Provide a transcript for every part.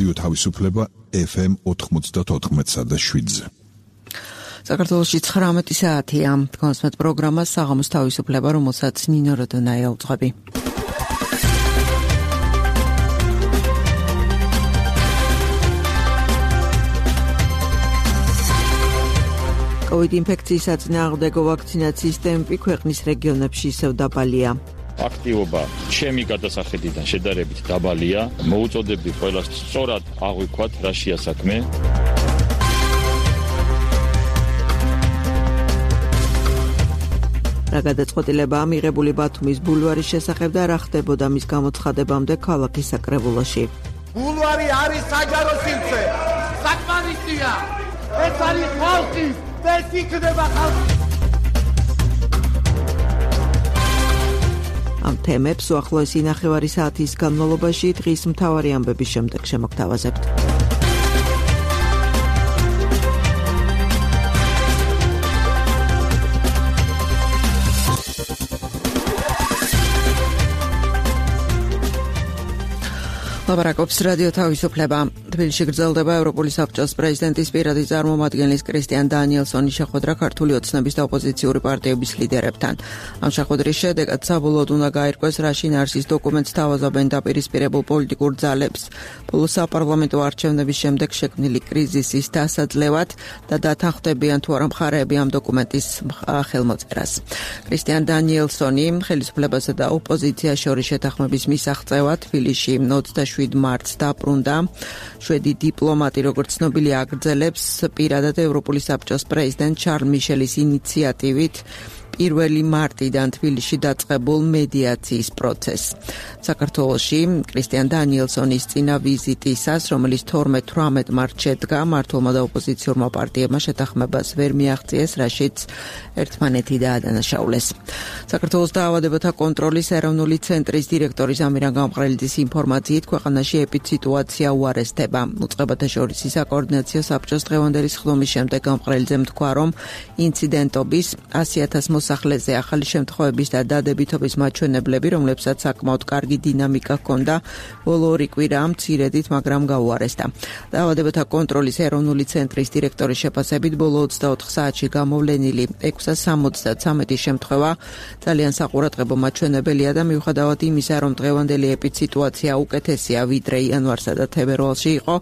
რადიო თავისუფლება FM 94.7-ზე. საქართველოში 19 საათია. კონსმეთ პროგრამა საღამოს თავისუფლება, რომელსაც ნინო როდონაია უძღვები. COVID ინფექციის საწინააღმდეგო ვაქცინაციის ტემპი ქვეყნის რეგიონებში ისევ დაბალია. აქტივობა ჩემი გადასახედიდან შედარებით დაბალია. მოუწოდებდი ყველას სწორად აღვიქვათ რაშია საქმე. რა გადაწყვეტილებაა მიღებული ბათუმის ბულვარის შესახებ და რა ხდებოდა მის გამოცხადებამდე ქალაქის საკრებულოში. ბულვარი არის საჯარო სივრცე. საკმარისია. ეს არის ხალხის ეს იქნება ხალხი. ამ თემებს უახლოესი ნახევარი საათის განმავლობაში დღის მთავარი ამბების შემდეგ შემოგთავაზებთ. ლაპარაკობს რადიო თავისუფლება. თბილისში გრძელდება ევროპული საბჭოს პრეზიდენტის პირადი წარმომადგენლის კრისტიან დანიელსონის შეხვედრა ქართული ოცნების და ოპოზიციური პარტიების ლიდერებთან. ამ შეხვედრის შედეგად საბოლოოდ უნდა გაირკვეს რა შინაარსის დოკუმენტს თავაზობენ დაპირისპირებულ პოლიტიკურ ძალებს. ბოლოს საპარლამენტო არჩევნების შემდეგ შექმნილი კრიზისის დასაძლევად და დათანხმდებიან თუ არა მხარეები ამ დოკუმენტის ხელმოწერას. კრისტიან დანიელსონი ხელისუფლებასა და ოპოზიციას შორის შეთანხმების მისაღწევად თბილისში 27 მარტს დაბრუნდა. შვედი დიპლომატი, როგორც ცნობილია, აგრძელებს პირადად ევროპული საბჭოს პრეზიდენტ შარლ მიშელის ინიციატივით 1 მარტიდან თბილისში დაწყებულ მედიაციის პროცესს. საქართველოში კრისტიან დანიელსონის წინა ვიზიტისას, რომელიც 12-18 მარტს შედგა, მმართველმა და ოპოზიციურმა პარტიებმა შეთანხმებას ვერ მიაღწიეს, რაშიც ერთმანეთი დაადანაშაულეს. საქართველოს დაავადებათა კონტროლის ეროვნული ცენტრის დირექტორის ამირან გამყრელიძის ინფორმაციით, ქვეყანაში ეპიდსიტუაცია უარესდება. უწყებათა შორის საკოორდინაციო საბჭოს დღევანდელი სხდომის შემდეგ გამყრელიძემ თქვა, რომ ინციდენტობის 100,000 მოსახლეზე ახალი შემთხვევების და დადებითობის მაჩვენებლები, რომლებსაც საკმაოდ კარგი დინამიკა ჰქონდა, ბოლო 2 კვირა მცირედით, მაგრამ გაუარესდა. დაავადებათა კონტროლის ეროვნული ცენტრის დირექტორის შეფასებით, ბოლო 24 საათში გამოვლენილი 673 შემთხვევა ძალიან საყურადღებო მაჩვენებელია და მიუხედავად იმისა, რომ დღევანდელი ეპიდსიტუაცია უკეთესია, ვიდრე იანვარსა და თებერვალში იყო,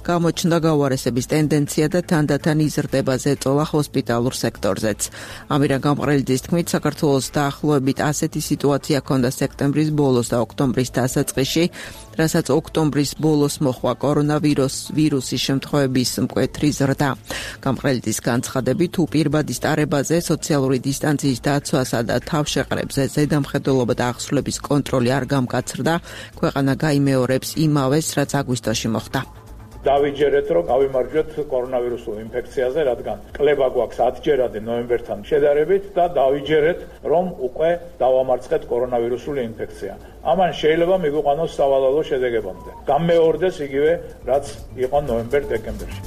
გამოჩნდა გაუარესების ტენდენცია და თანდათან იზრდება ზეწოლა ჰოსპიტალურ სექტორზეც. ამირან გამყრელიძის თქმით, საქართველოს დაახლოებით ასეთი სიტუაცია ჰქონდა სექტემბრის ბოლოს და ოქტომბრის დასაწყისში, რასაც ოქტომბრის ბოლოს მოჰყვა კორონავირუსის შემთხვევების მკვეთრი ზრდა. გამყრელიძის განცხადებით, თუ პირბადის ტარებაზე, სოციალური დისტანციის დაცვასა და თავშეყრებზე ზედამხედველობა და აღსრულების კონტროლი არ გამკაცრდა, ქვეყანა გაიმეორებს იმავეს, რაც აგვისტოში მოხდა. დავიჯერეთ, რომ გავიმარჯვეთ კორონავირუსულ ინფექციაზე, რადგან კლება გვაქვს 10ჯერადი ნოემბერთან შედარებით და დავიჯერეთ, რომ უკვე დავამარცხეთ კორონავირუსული ინფექცია. ამან შეიძლება მიგვიყვანოს სავალალო შედეგებამდე. გამეორდეს იგივე, რაც იყო ნოემბერ-დეკემბერში.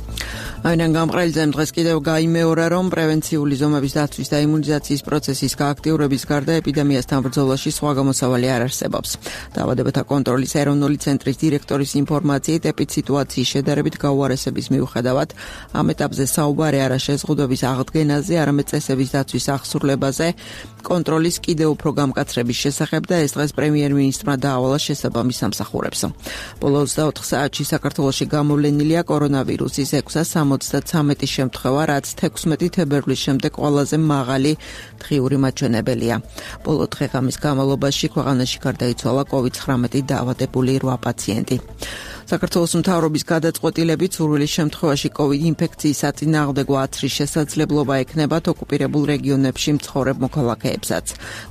ამირან გამყრელიძემ დღეს კიდევ გაიმეორა, რომ პრევენციული ზომების დაცვის და იმუნიზაციის პროცესის გააქტიურების გარდა ეპიდემიასთან ბრძოლაში სხვა გამოსავალი არ არსებობს. დაავადებათა კონტროლის ეროვნული ცენტრის დირექტორის ინფორმაციით, ეპიდსიტუაციის შედარებით გაუარესების მიუხედავად, ამ ეტაპზე საუბარი არა შეზღუდვების აღდგენაზე, არამედ წესების დაცვის აღსრულებაზე, კონტროლის კიდევ უფრო გამკაცრების შესახებ და ეს დღეს პრემიერ-მინისტრმა დაავალა შესაბამის სამსახურებს. ბოლო 24 საათში საქართველოში გამოვლენილია კორონავირუსის 673 შემთხვევა, რაც 16 თებერვლის შემდეგ ყველაზე მაღალი დღიური მაჩვენებელია. ბოლო დღე-ღამის განმავლობაში ქვეყანაში გარდაიცვალა COVID-19 დაავადებული 8 პაციენტი. საქართველოს მთავრობის გადაწყვეტილებით სურვილის შემთხვევაში COVID ინფექციის საწინააღმდეგო აცრის შესაძლებლობა ექნება ოკუპირებულ რეგიონებში მცხოვრებ მოქალაქეებსაც.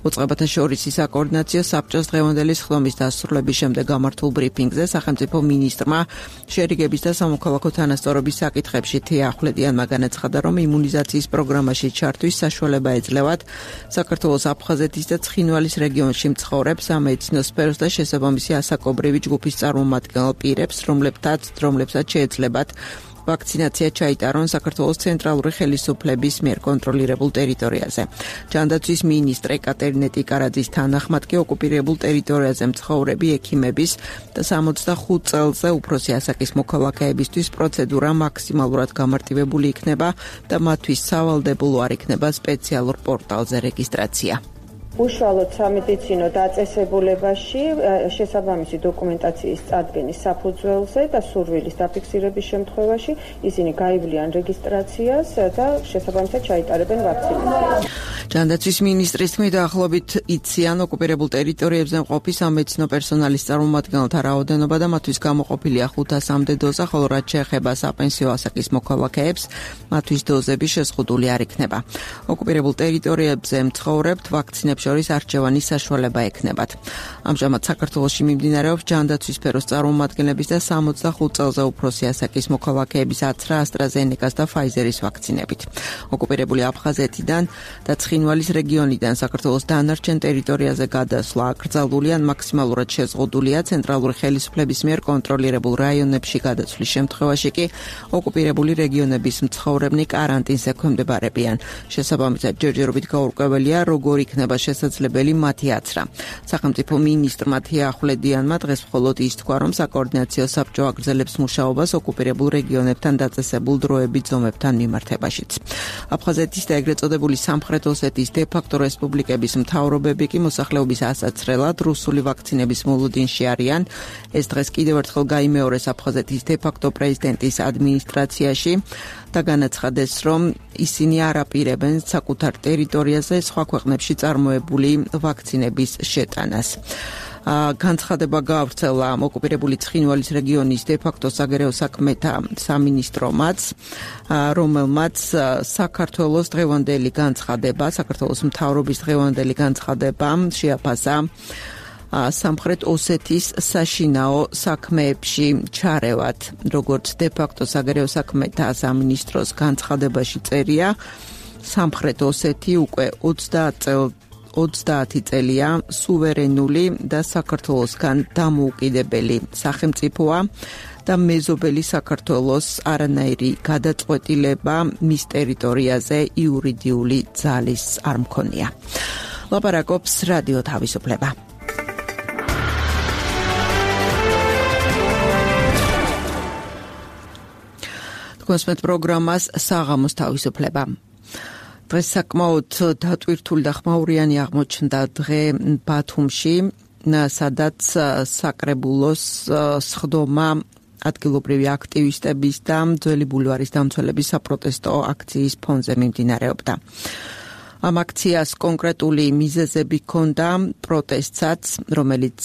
უწყებათა შორის საკოორდინაციო საბჭოს დღევანდელი სხდომის დასრულების შემდეგ გამართულ ბრიფინგზე სახელმწიფო მინისტრმა შერიგების და სამოქალაქო თანასწორობის საკითხებში თია ახვლედიანმა განაცხადა, რომ იმუნიზაციის პროგრამაში ჩართვის საშუალება ეძლევათ საქართველოს აფხაზეთის და ცხინვალის რეგიონში მცხოვრებ სამედიცინო სფეროს და შესაბამისი ასაკობრივი ჯგუფის წარმომადგენელ პირებს, რომლებსაც შეეძლებათ ვაქცინაცია ჩაიტარონ საქართველოს ცენტრალური ხელისუფლების მიერ კონტროლირებულ ტერიტორიაზე. ჯანდაცვის მინისტრ ეკატერინე ტიკარაძის თანახმად კი ოკუპირებულ ტერიტორიაზე მცხოვრები ექიმების და 65 წელზე უფროსი ასაკის მოქალაქეებისთვის პროცედურა მაქსიმალურად გამარტივებული იქნება და მათთვის სავალდებულო არ იქნება სპეციალურ პორტალზე რეგისტრაცია. უშუალოდ სამედიცინო დაწესებულებაში შესაბამისი დოკუმენტაციის წარდგენის საფუძველზე და სურვილის დაფიქსირების შემთხვევაში ისინი გაივლიან რეგისტრაციას და შესაბამისად ჩაიტარებენ ვაქცინაციას. ჯანდაცვის მინისტრის თქმით, ახლობით იციან ოკუპირებულ ტერიტორიებზე მყოფი სამედიცინო პერსონალის წარმომადგენელთა რაოდენობა და მათთვის გამოყოფილია 500-მდე დოზა, ხოლო რაც შეეხება საპენსიო ასაკის მოქალაქეებს, მათთვის დოზები შეზღუდული არ იქნება. ოკუპირებულ ტერიტორიებზე მცხოვრებთ ვაქცინებს შორის არჩევანის საშუალება ექნებათ. ამჟამად საქართველოში მიმდინარეობს ჯანდაცვის სფეროს წარმომადგენლების და 65 წელზე უფროსი ასაკის მოქალაქეების აცრა AstraZeneca-ს და Pfizer-ის ვაქცინებით. ოკუპირებული აფხაზეთიდან და ცხინვალის რეგიონიდან საქართველოს დანარჩენ ტერიტორიაზე გადასვლა აკრძალული ან მაქსიმალურად შეზღუდულია ცენტრალური ხელისუფლების მიერ კონტროლირებულ რაიონებში გადაცვლის შემთხვევაში კი ოკუპირებული რეგიონების მცხოვრებნი კარანტინს ექვემდებარებიან. შესაბამისად ჯერჯერობით გაურკვეველია როგორ იქნება შესაძლებელი მათი აცრა. სახელმწიფო მინისტრმა თია ახვლედიანმა დღეს მხოლოდ ის თქვა, რომ საკოორდინაციო საბჭო აგრძელებს მუშაობას ოკუპირებულ რეგიონებთან დაწესებულ დროებით ზომებთან მიმართებაშიც. აფხაზეთის და ეგრეთ წოდებული სამხრეთ ოსეთის დე-ფაქტო რესპუბლიკების მთავრობები კი მოსახლეობის ასაცრელად რუსული ვაქცინების მოლოდინში არიან. ეს დღეს კიდევ ერთხელ გაიმეორეს აფხაზეთის დე-ფაქტო პრეზიდენტის ადმინისტრაციაში და განაცხადეს, რომ ისინი არ აპირებენ საკუთარ ტერიტორიაზე სხვა ქვეყნებში წარმოებული ვაქცინების შეტანას. განცხადება გაავრცელა ოკუპირებული ცხინვალის რეგიონის დე-ფაქტო საგარეო საქმეთა სამინისტრომაც, რომელმაც საქართველოს დღევანდელი განცხადება, საქართველოს მთავრობის დღევანდელი განცხადება შეაფასა სამხრეთ ოსეთის საშინაო საქმეებში ჩარევად. როგორც დე-ფაქტო საგარეო საქმეთა სამინისტროს განცხადებაში წერია, სამხრეთ ოსეთი უკვე 30 წელია სუვერენული და საქართველოსგან დამოუკიდებელი სახელმწიფოა და მეზობელი საქართველოს არანაირი გადაწყვეტილება მის ტერიტორიაზე იურიდიული ძალის არ მქონია. ლაპარაკობს რადიო თავისუფლება. კონსპეთ პროგრამას საღამოს თავისუფლება. დღეს საკმაოდ დატვირთული და ხმაურიანი აღმოჩნდა დღე ბათუმში, სადაც საკრებულოს სხდომა ადგილობრივი აქტივისტების და ძველი ბულვარის დამცველების საპროტესტო აქციის ფონზე მიმდინარეობდა. ამ აქციას კონკრეტული მიზეზები ჰქონდა, პროტესტსაც, რომელიც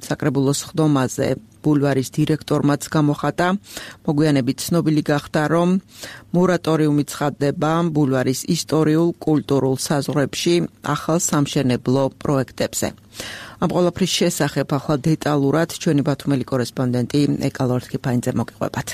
საკრებულოს სხდომაზე ბულვარის დირექტორმაც გამოხატა. მოგვიანებით ცნობილი გახდა, რომ მორატორიუმი ცხადდება ბულვარის ისტორიულ კულტურულ საზღვრებში ახალ სამშენებლო პროექტებზე. ამ ყველაფრის შესახებ ახლა დეტალურად ჩვენი ბათუმელი კორესპონდენტი ეკალორთ კიფაინძე მოგიყვებათ.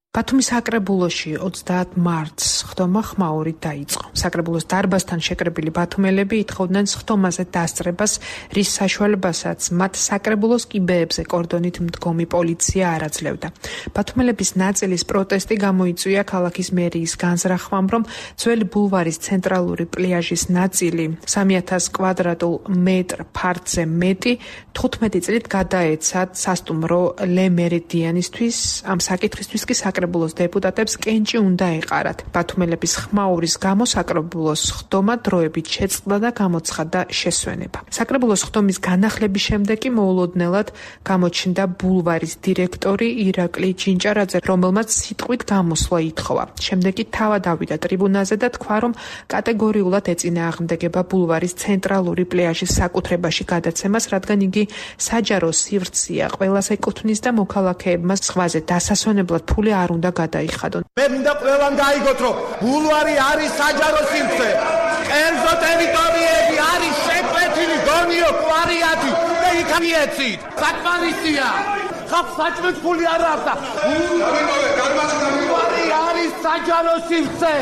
ბათუმის საკრებულოში 30 მარტს სხდომა ხმაურით დაიწყო. საკრებულოს დარბაზთან შეკრებილი ბათუმელები ითხოვდნენ სხდომაზე დასწრებას, რის საშუალებასაც მათ საკრებულოს კიბეებზე კორდონით მდგომი პოლიცია არ აძლევდა. ბათუმელების ნაწილის პროტესტი გამოიწვია ქალაქის მერიის განზრახვამ, რომ ძველი ბულვარის ცენტრალური პლიაჟის ნაწილი 3000 კვადრატულ მეტრ ფართზე მეტი 15 წლით გადაეცათ სასტუმრო ლე მერიდიანისთვის. ამ საკითხისთვის კი საკრებულოს დეპუტატებს კენჭი უნდა ეყარათ. ბათუმელების ხმაურის გამო საკრებულოს სხდომა დროებით შეწყდა და გამოცხადდა შესვენება. საკრებულოს სხდომის განახლების შემდეგ კი მოულოდნელად გამოჩნდა ბულვარის დირექტორი ირაკლი ჯინჭარაძე, რომელმაც სიტყვით გამოსვლა ითხოვა. შემდეგ კი თავად ავიდა ტრიბუნაზე და თქვა, რომ კატეგორიულად ეწინააღმდეგება ბულვარის ცენტრალური პლიაჟის საკუთრებაში გადაცემას, რადგან იგი საჯარო სივრცეა, ყველას ეკუთვნის და მოქალაქეებმა ზღვაზე დასასვენებლად ფული არ უნდა გადაიხადონ. მე მინდა ყველამ გაიგოთ, რომ ბულვარი არის საჯარო სივრცე. კერძო ტერიტორიები არის შეკვეთილი გონიო კვარიათი და იქ მიეცით. საკმარისია. ხალხს საჭმეთ ფული არ აქვს და ბულვარი არის საჯარო სივრცე.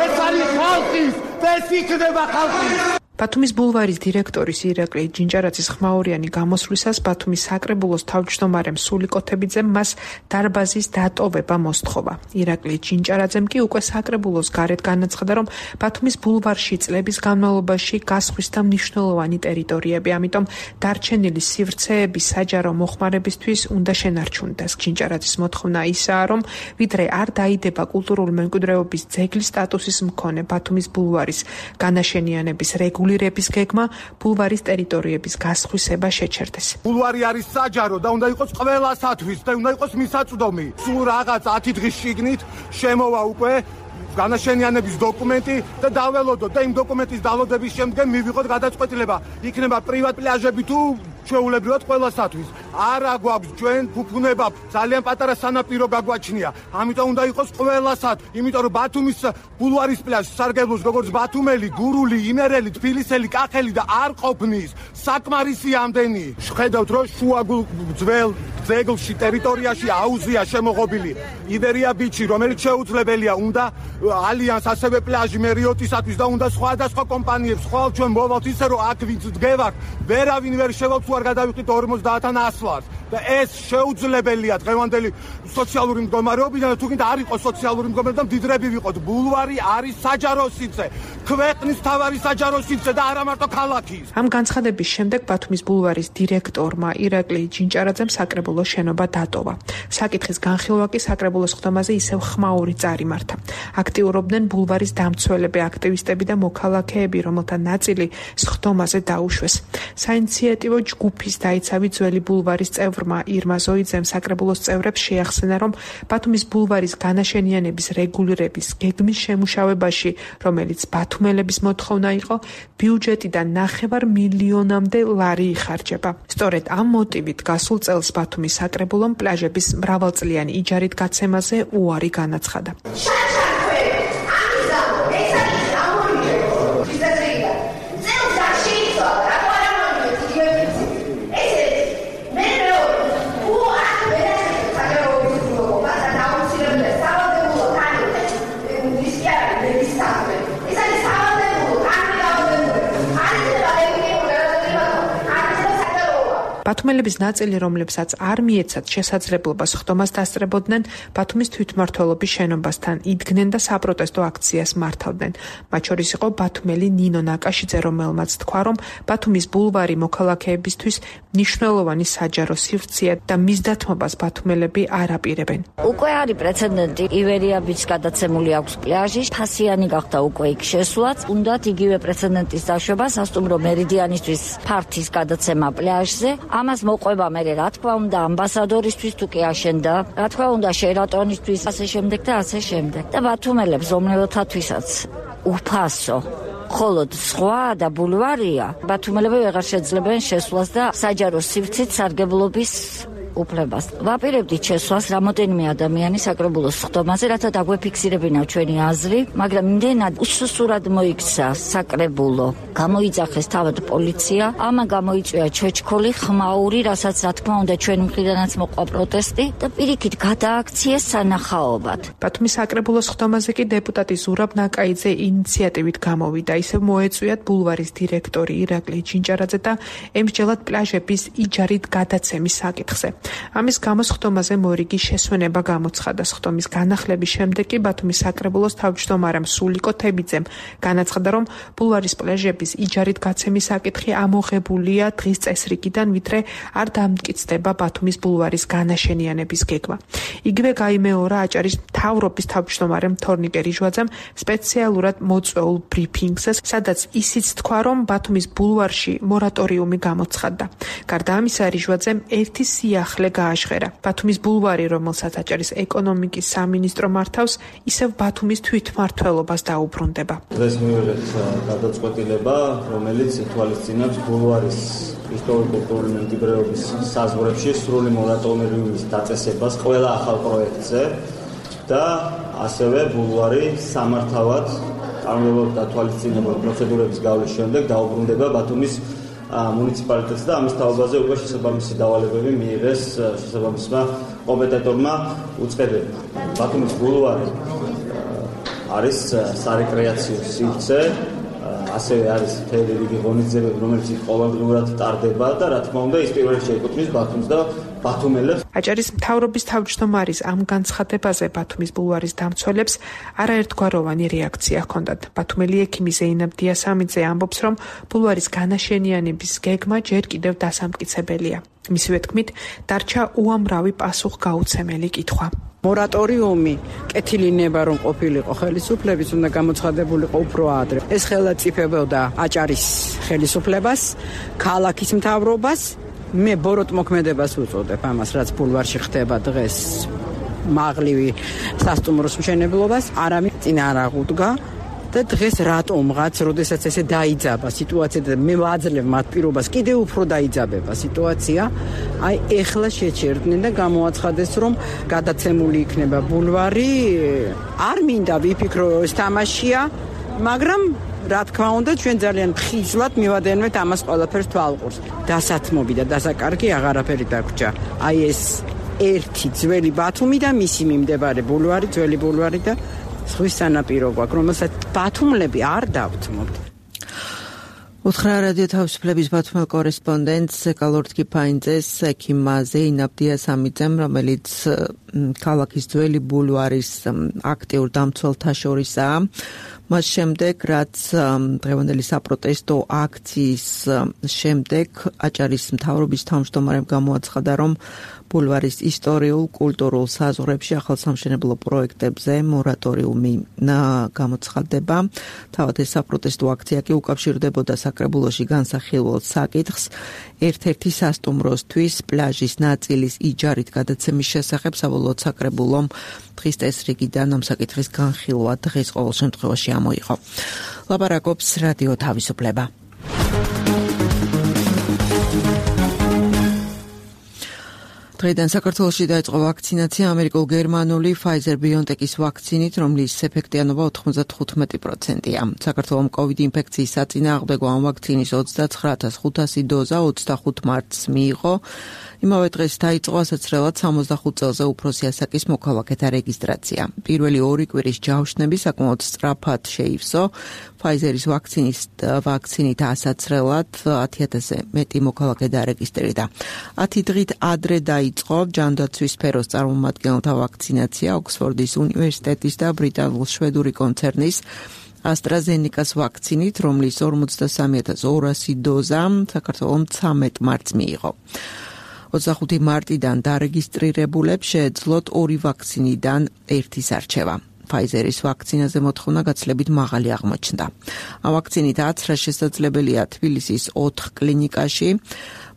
ეს არის ხალხის და ეს იქნება ხალხის. ბათუმის ბულვარის დირექტორის ირაკლი ჯინჭარაძის ხმაურიანი გამოსვლისას ბათუმის საკრებულოს თავმჯდომარემ სულიკოთებიძემ მას დარბაზის დატოვება მოსთხოვა. ირაკლი ჯინჭარაძემ კი უკვე საკრებულოს გარეთ განაცხადა, რომ ბათუმის ბულვარში წლების განმავლობაში გასხვისდა მნიშვნელოვანი ტერიტორიები, ამიტომ დარჩენილი სივრცეები საჯარო მოხმარებისთვის უნდა შენარჩუნდეს. ჯინჭარაძის მოთხოვნა ისაა, რომ ვიდრე არ დაიდება კულტურული მემკვიდრეობის ძეგლის სტატუსის მქონე ბათუმის ბულვარის განაშენიანების რეგულირების გეგმა, ბულვარის ტერიტორიების გასხვისება შეჩერდეს. ბულვარი არის საჯარო და უნდა იყოს ყველასათვის და უნდა იყოს მისაწვდომი. სულ რაღაც 10 დღის შიგნით შემოვა უკვე განაშენიანების დოკუმენტი და დაველოდოთ და იმ დოკუმენტის დალოდების შემდგომ მივიღოთ გადაწყვეტილება. იქნება პრივატ პლაჟები თუ ჩვეულებრივად ყველასათვის. არა გვაქვს ჩვენ ფუფუნება, ძალიან პატარა სანაპირო გაგვაჩნია. ამიტომ უნდა იყოს ყველასათვის. იმიტომ რომ ბათუმის ბულვარის პლაჟი სარგებლობს როგორც ბათუმელი, გურული, იმერელი, თბილისელი, კახელი და არ ყოფნის საკმარისი ამდენი. შევხედავთ რომ შუაგულ ძველ ძეგლში ტერიტორიაში აუზია შემოღობილი იბერია ბიჩი, რომელიც შეუძლებელია უნდა ალიანს ასევე პლაჟი მერიოტისათვის და უნდა სხვადასხვა კომპანიებს ხვალ ჩვენ მოვალთ ისე რომ აქ ვინც დგევართ ვერავინ ვერ შევალთ თუ არ გადავიხდით 50-დან 100 ლარს და ეს შეუძლებელია დღევანდელი სოციალური მდგომარეობიდან თუ კიდე არ იყოს სოციალური მდგომარეობა მდიდრები ვიყოთ. ბულვარი არის საჯარო სივრცე, ქვეყნის თავარი საჯარო სივრცე და არა მარტო ქალაქის. ამ განცხადების შემდეგ ბათუმის ბულვარის დირექტორმა ირაკლი ჯინჭარაძემ საკრებულოს შენობა დატოვა. საკითხის განხილვა კი საკრებულოს ხდომაზე ისევ ხმაური წარიმართა. აქტიურობდნენ ბულვარის დამცველები, აქტივისტები და მოქალაქეები, რომელთა ნაწილი ხდომაზე დაუშვეს. საინიციატივო ჯგუფის დაიცავი ძველი ბულვარის წევრმა ირმა ზოიძემ საკრებულოს წევრებს შეახსენა, რომ ბათუმის ბულვარის განაშენიანების რეგულირების გეგმის შემუშავებაში, რომელიც ბათუმელების მოთხოვნა იყო, ბიუჯეტიდან 9 მილიონამდე ლარი იხარჯება. სწორედ ამ მოტივით გასულ წელს ბათუმის საკრებულომ პლაჟების მრავალწლიანი იჯარით გაცემაზე უარი განაცხადა. ბათუმელების ნაწილი, რომლებსაც არ მიეცათ შესაძლებლობას ხდომას დასწრებოდნენ, ბათუმის თვითმმართველობის შენობასთან იდგნენ და საპროტესტო აქციას მართავდნენ. მათ შორის იყო ბათუმელი ნინო ნაკაშიძე, რომელმაც თქვა, რომ ბათუმის ბულვარი მოქალაქეებისთვის მნიშვნელოვანი საჯარო სივრცეა და მის დათმობას ბათუმელები არ აპირებენ. უკვე არის პრეცედენტი, ივერია ბიჩს გადაცემული აქვს პლაჟი, ფასიანი გახდა უკვე იქ შესვლაც, უნდათ იგივე პრეცედენტის დაშვება სასტუმრო მერიდიანისთვის ფართის გადაცემა პლაჟზე. ამას მოყვება მე რა თქმა უნდა ამბასადორისთვის თუ კი აშენდა, რა თქმა უნდა შერატონისთვის, ასე შემდეგ და ასე შემდეგ. და ბათუმელებს რომლებთათვისაც უფასო ხოლოდ სხვა და ბულვარია, ბათუმელები ვეღარ შეძლებენ შესვლას და საჯარო სივრცით სარგებლობის უფლებას. ვაპირებდით შესვლას რამოდენიმე ადამიანი საკრებულოს ხდომაზე, რათა დაგვეფიქსირებინა ჩვენი აზრი, მაგრამ იმდენად უსუსურად მოიქცა საკრებულო, გამოიძახეს თავად პოლიცია, ამან გამოიწვია ჩეჩქოლი, ხმაური, რასაც რა თქმა უნდა ჩვენი მხრიდანაც მოყვა პროტესტი და პირიქით გადააქციეს სანახაობად. ბათუმის საკრებულოს ხდომაზე კი დეპუტატი ზურაბ ნაკაიძე ინიციატივით გამოვიდა, ისევ მოეწვიათ ბულვარის დირექტორი ირაკლი ჯინჭარაძე და ემსჯელად პლაჟების იჯარით გადაცემის საკითხზე. ამის გამოს ხდომაზე მორიგი შესვენება გამოცხადა. ხდომის განახლების შემდეგ კი ბათუმის საკრებულოს თავმჯდომარემ სულიკო თებიძემ განაცხადა, რომ ბულვარის პლაჟების იჯარით გაცემის საკითხი ამოღებულია დღის წესრიგიდან, ვიდრე არ დამტკიცდება ბათუმის ბულვარის განაშენიანების გეგმა. იგივე გაიმეორა აჭარის მთავრობის თავმჯდომარემ თორნიკე რიჟვაძემ სპეციალურად მოწვეულ ბრიფინგზე, სადაც ისიც თქვა, რომ ბათუმის ბულვარში მორატორიუმი გამოცხადდა. გარდა ამისა, რიჟვაძემ ერთი სიახლე გააშხერა. ბათუმის ბულვარი, რომელსაც აჭარის ეკონომიკის სამინისტრო მართავს, ისევ ბათუმის თვითმმართველობას დაუბრუნდება. დღეს მივიღეთ გადაწყვეტილება, რომელიც ითვალისწინებს ბულვარის ისტორიულ-კულტურული მემკვიდრეობის საზღვრებში სრული მორატორიუმის დაწესებას ყველა ახალ პროექტზე და ასევე ბულვარი სამართავად წარმატებულად თვალისწინებულ პროცედურების გავლის შემდეგ დაუბრუნდება ბათუმის მუნიციპალიტეტს და ამის თაობაზე უკვე შესაბამისი დავალებები მიიღეს შესაბამისმა კომპეტენტორმა უწყებებმა. ბათუმის ბულვარი არის სარეკრეაციო სივრცე, ასევე არის მთელი რიგი ღონისძიებები, რომელიც ყოველდღიურად ტარდება და რა თქმა უნდა ის პირველ რიგში ეკუთვნის ბათუმს და ბათუმელებს. აჭარის მთავრობის თავმჯდომარის ამ განცხადებაზე ბათუმის ბულვარის დამცველებს არაერთგვაროვანი რეაქცია ჰქონდათ. ბათუმელი ექიმი ზეინაბ დიასამიძე ამბობს, რომ ბულვარის განაშენიანების გეგმა ჯერ კიდევ დასამტკიცებელია. მისივე თქმით, დარჩა უამრავი პასუხგაუცემელი კითხვა. მორატორიუმი კეთილინება რომ ყოფილიყო ხელისუფლების უნდა გამოცხადებულიყო უფრო ადრე. ეს ხელაწიფებოდა აჭარის ხელისუფლებას, ქალაქის მთავრობას. მე ბოროტ მოქმედებას უწოდებ ამას, რაც ბულვარში ხდება დღეს მაღლივი სასტუმროს მშენებლობას, არამედ წინ არ აღუდგა და დღეს რატომღაც, როდესაც ესე დაიძაბა სიტუაცია და მე ვაძლევ მათ პირობას, კიდევ უფრო დაიძაბება სიტუაცია, აი ეხლა შეჩერდნენ და გამოაცხადეს, რომ გადაცემული იქნება ბულვარი. არ მინდა ვიფიქრო ეს თამაშია, მაგრამ რა თქმა უნდა, ჩვენ ძალიან ხიზლად მივადენვეთ ამას ყველაფერს თვალყურს. დასათმობი და დასაკარგი აღარაფერი დაგვრჩა. აი ეს ერთი ძველი ბათუმი და მისი მიმდებარე ბულვარი, ძველი ბულვარი და ზღვის სანაპირო გვაქვს, რომელსაც ბათუმლები არ დავთმობთ. უთხრა რადიო თავისუფლების ბათუმელ კორესპონდენტს ეკალორდ კიფაინძეს ექიმ ზეინაბ დიასამიძემ, რომელიც ქალაქის ძველი ბულვარის აქტიურ დამცველთა შორისაა. მას შემდეგ, რაც დღევანდელი საპროტესტო აქციის შემდეგ აჭარის მთავრობის თავმჯდომარემ გამოაცხადა, რომ ბულვარის ისტორიულ, კულტურულ საზღვრებში ახალსამშენებლო პროექტებზე მორატორიუმი გამოცხადდება. თავად ეს საპროტესტო აქცია კი უკავშირდებოდა საკრებულოში განსახილველ საკითხს ერთ-ერთი სასტუმროსთვის პლაჟის ნაწილის იჯარით გადაცემის შესახებ. საბოლოოდ საკრებულომ დღის წესრიგიდან ამ საკითხის განხილვა დღეს ყოველ შემთხვევაში ამოიღო. ლაპარაკობს რადიო თავისუფლება. დღეიდან საქართველოში დაიწყო ვაქცინაცია ამერიკულ-გერმანული Pfizer-BioNTech-ის ვაქცინით, რომლის ეფექტიანობა 95%-ია. საქართველოს COVID ინფექციის საწინააღმდეგო ამ ვაქცინის 29500 დოზა 25 მარტს მიიღო. იმავე დღეს დაიწყო ასაცრელად 65 წელზე უფროსი ასაკის მოქალაქეთა რეგისტრაცია. პირველი 2 კვირის ჯავშნები საკმაოდ სწრაფად შეივსო. Pfizer-ის ვაქცინით ასაცრელად 10000-ზე მეტი მოქალაქე დარეგისტრირდა. 10 დღით ადრე დაიწყო ჯანდაცვის სფეროს წარმომადგენელთა ვაქცინაცია ოქსფორდის უნივერსიტეტის და ბრიტანულ-შვედური კონცერნის AstraZeneca-ს ვაქცინით, რომლის 43200 დოზა საქართველოს 13 მარტს მიიღო. 25 მარტიდან დარეგისტრირებულებს შეეძლოთ 2 ვაქცინიდან 1-ის არჩევა. Pfizer-ის ვაქცინაზე მოთხოვნა გაცილებით მაღალი აღმოჩნდა. ამ ვაქცინით აცრა შესაძლებელია თბილისის 4 კლინიკაში,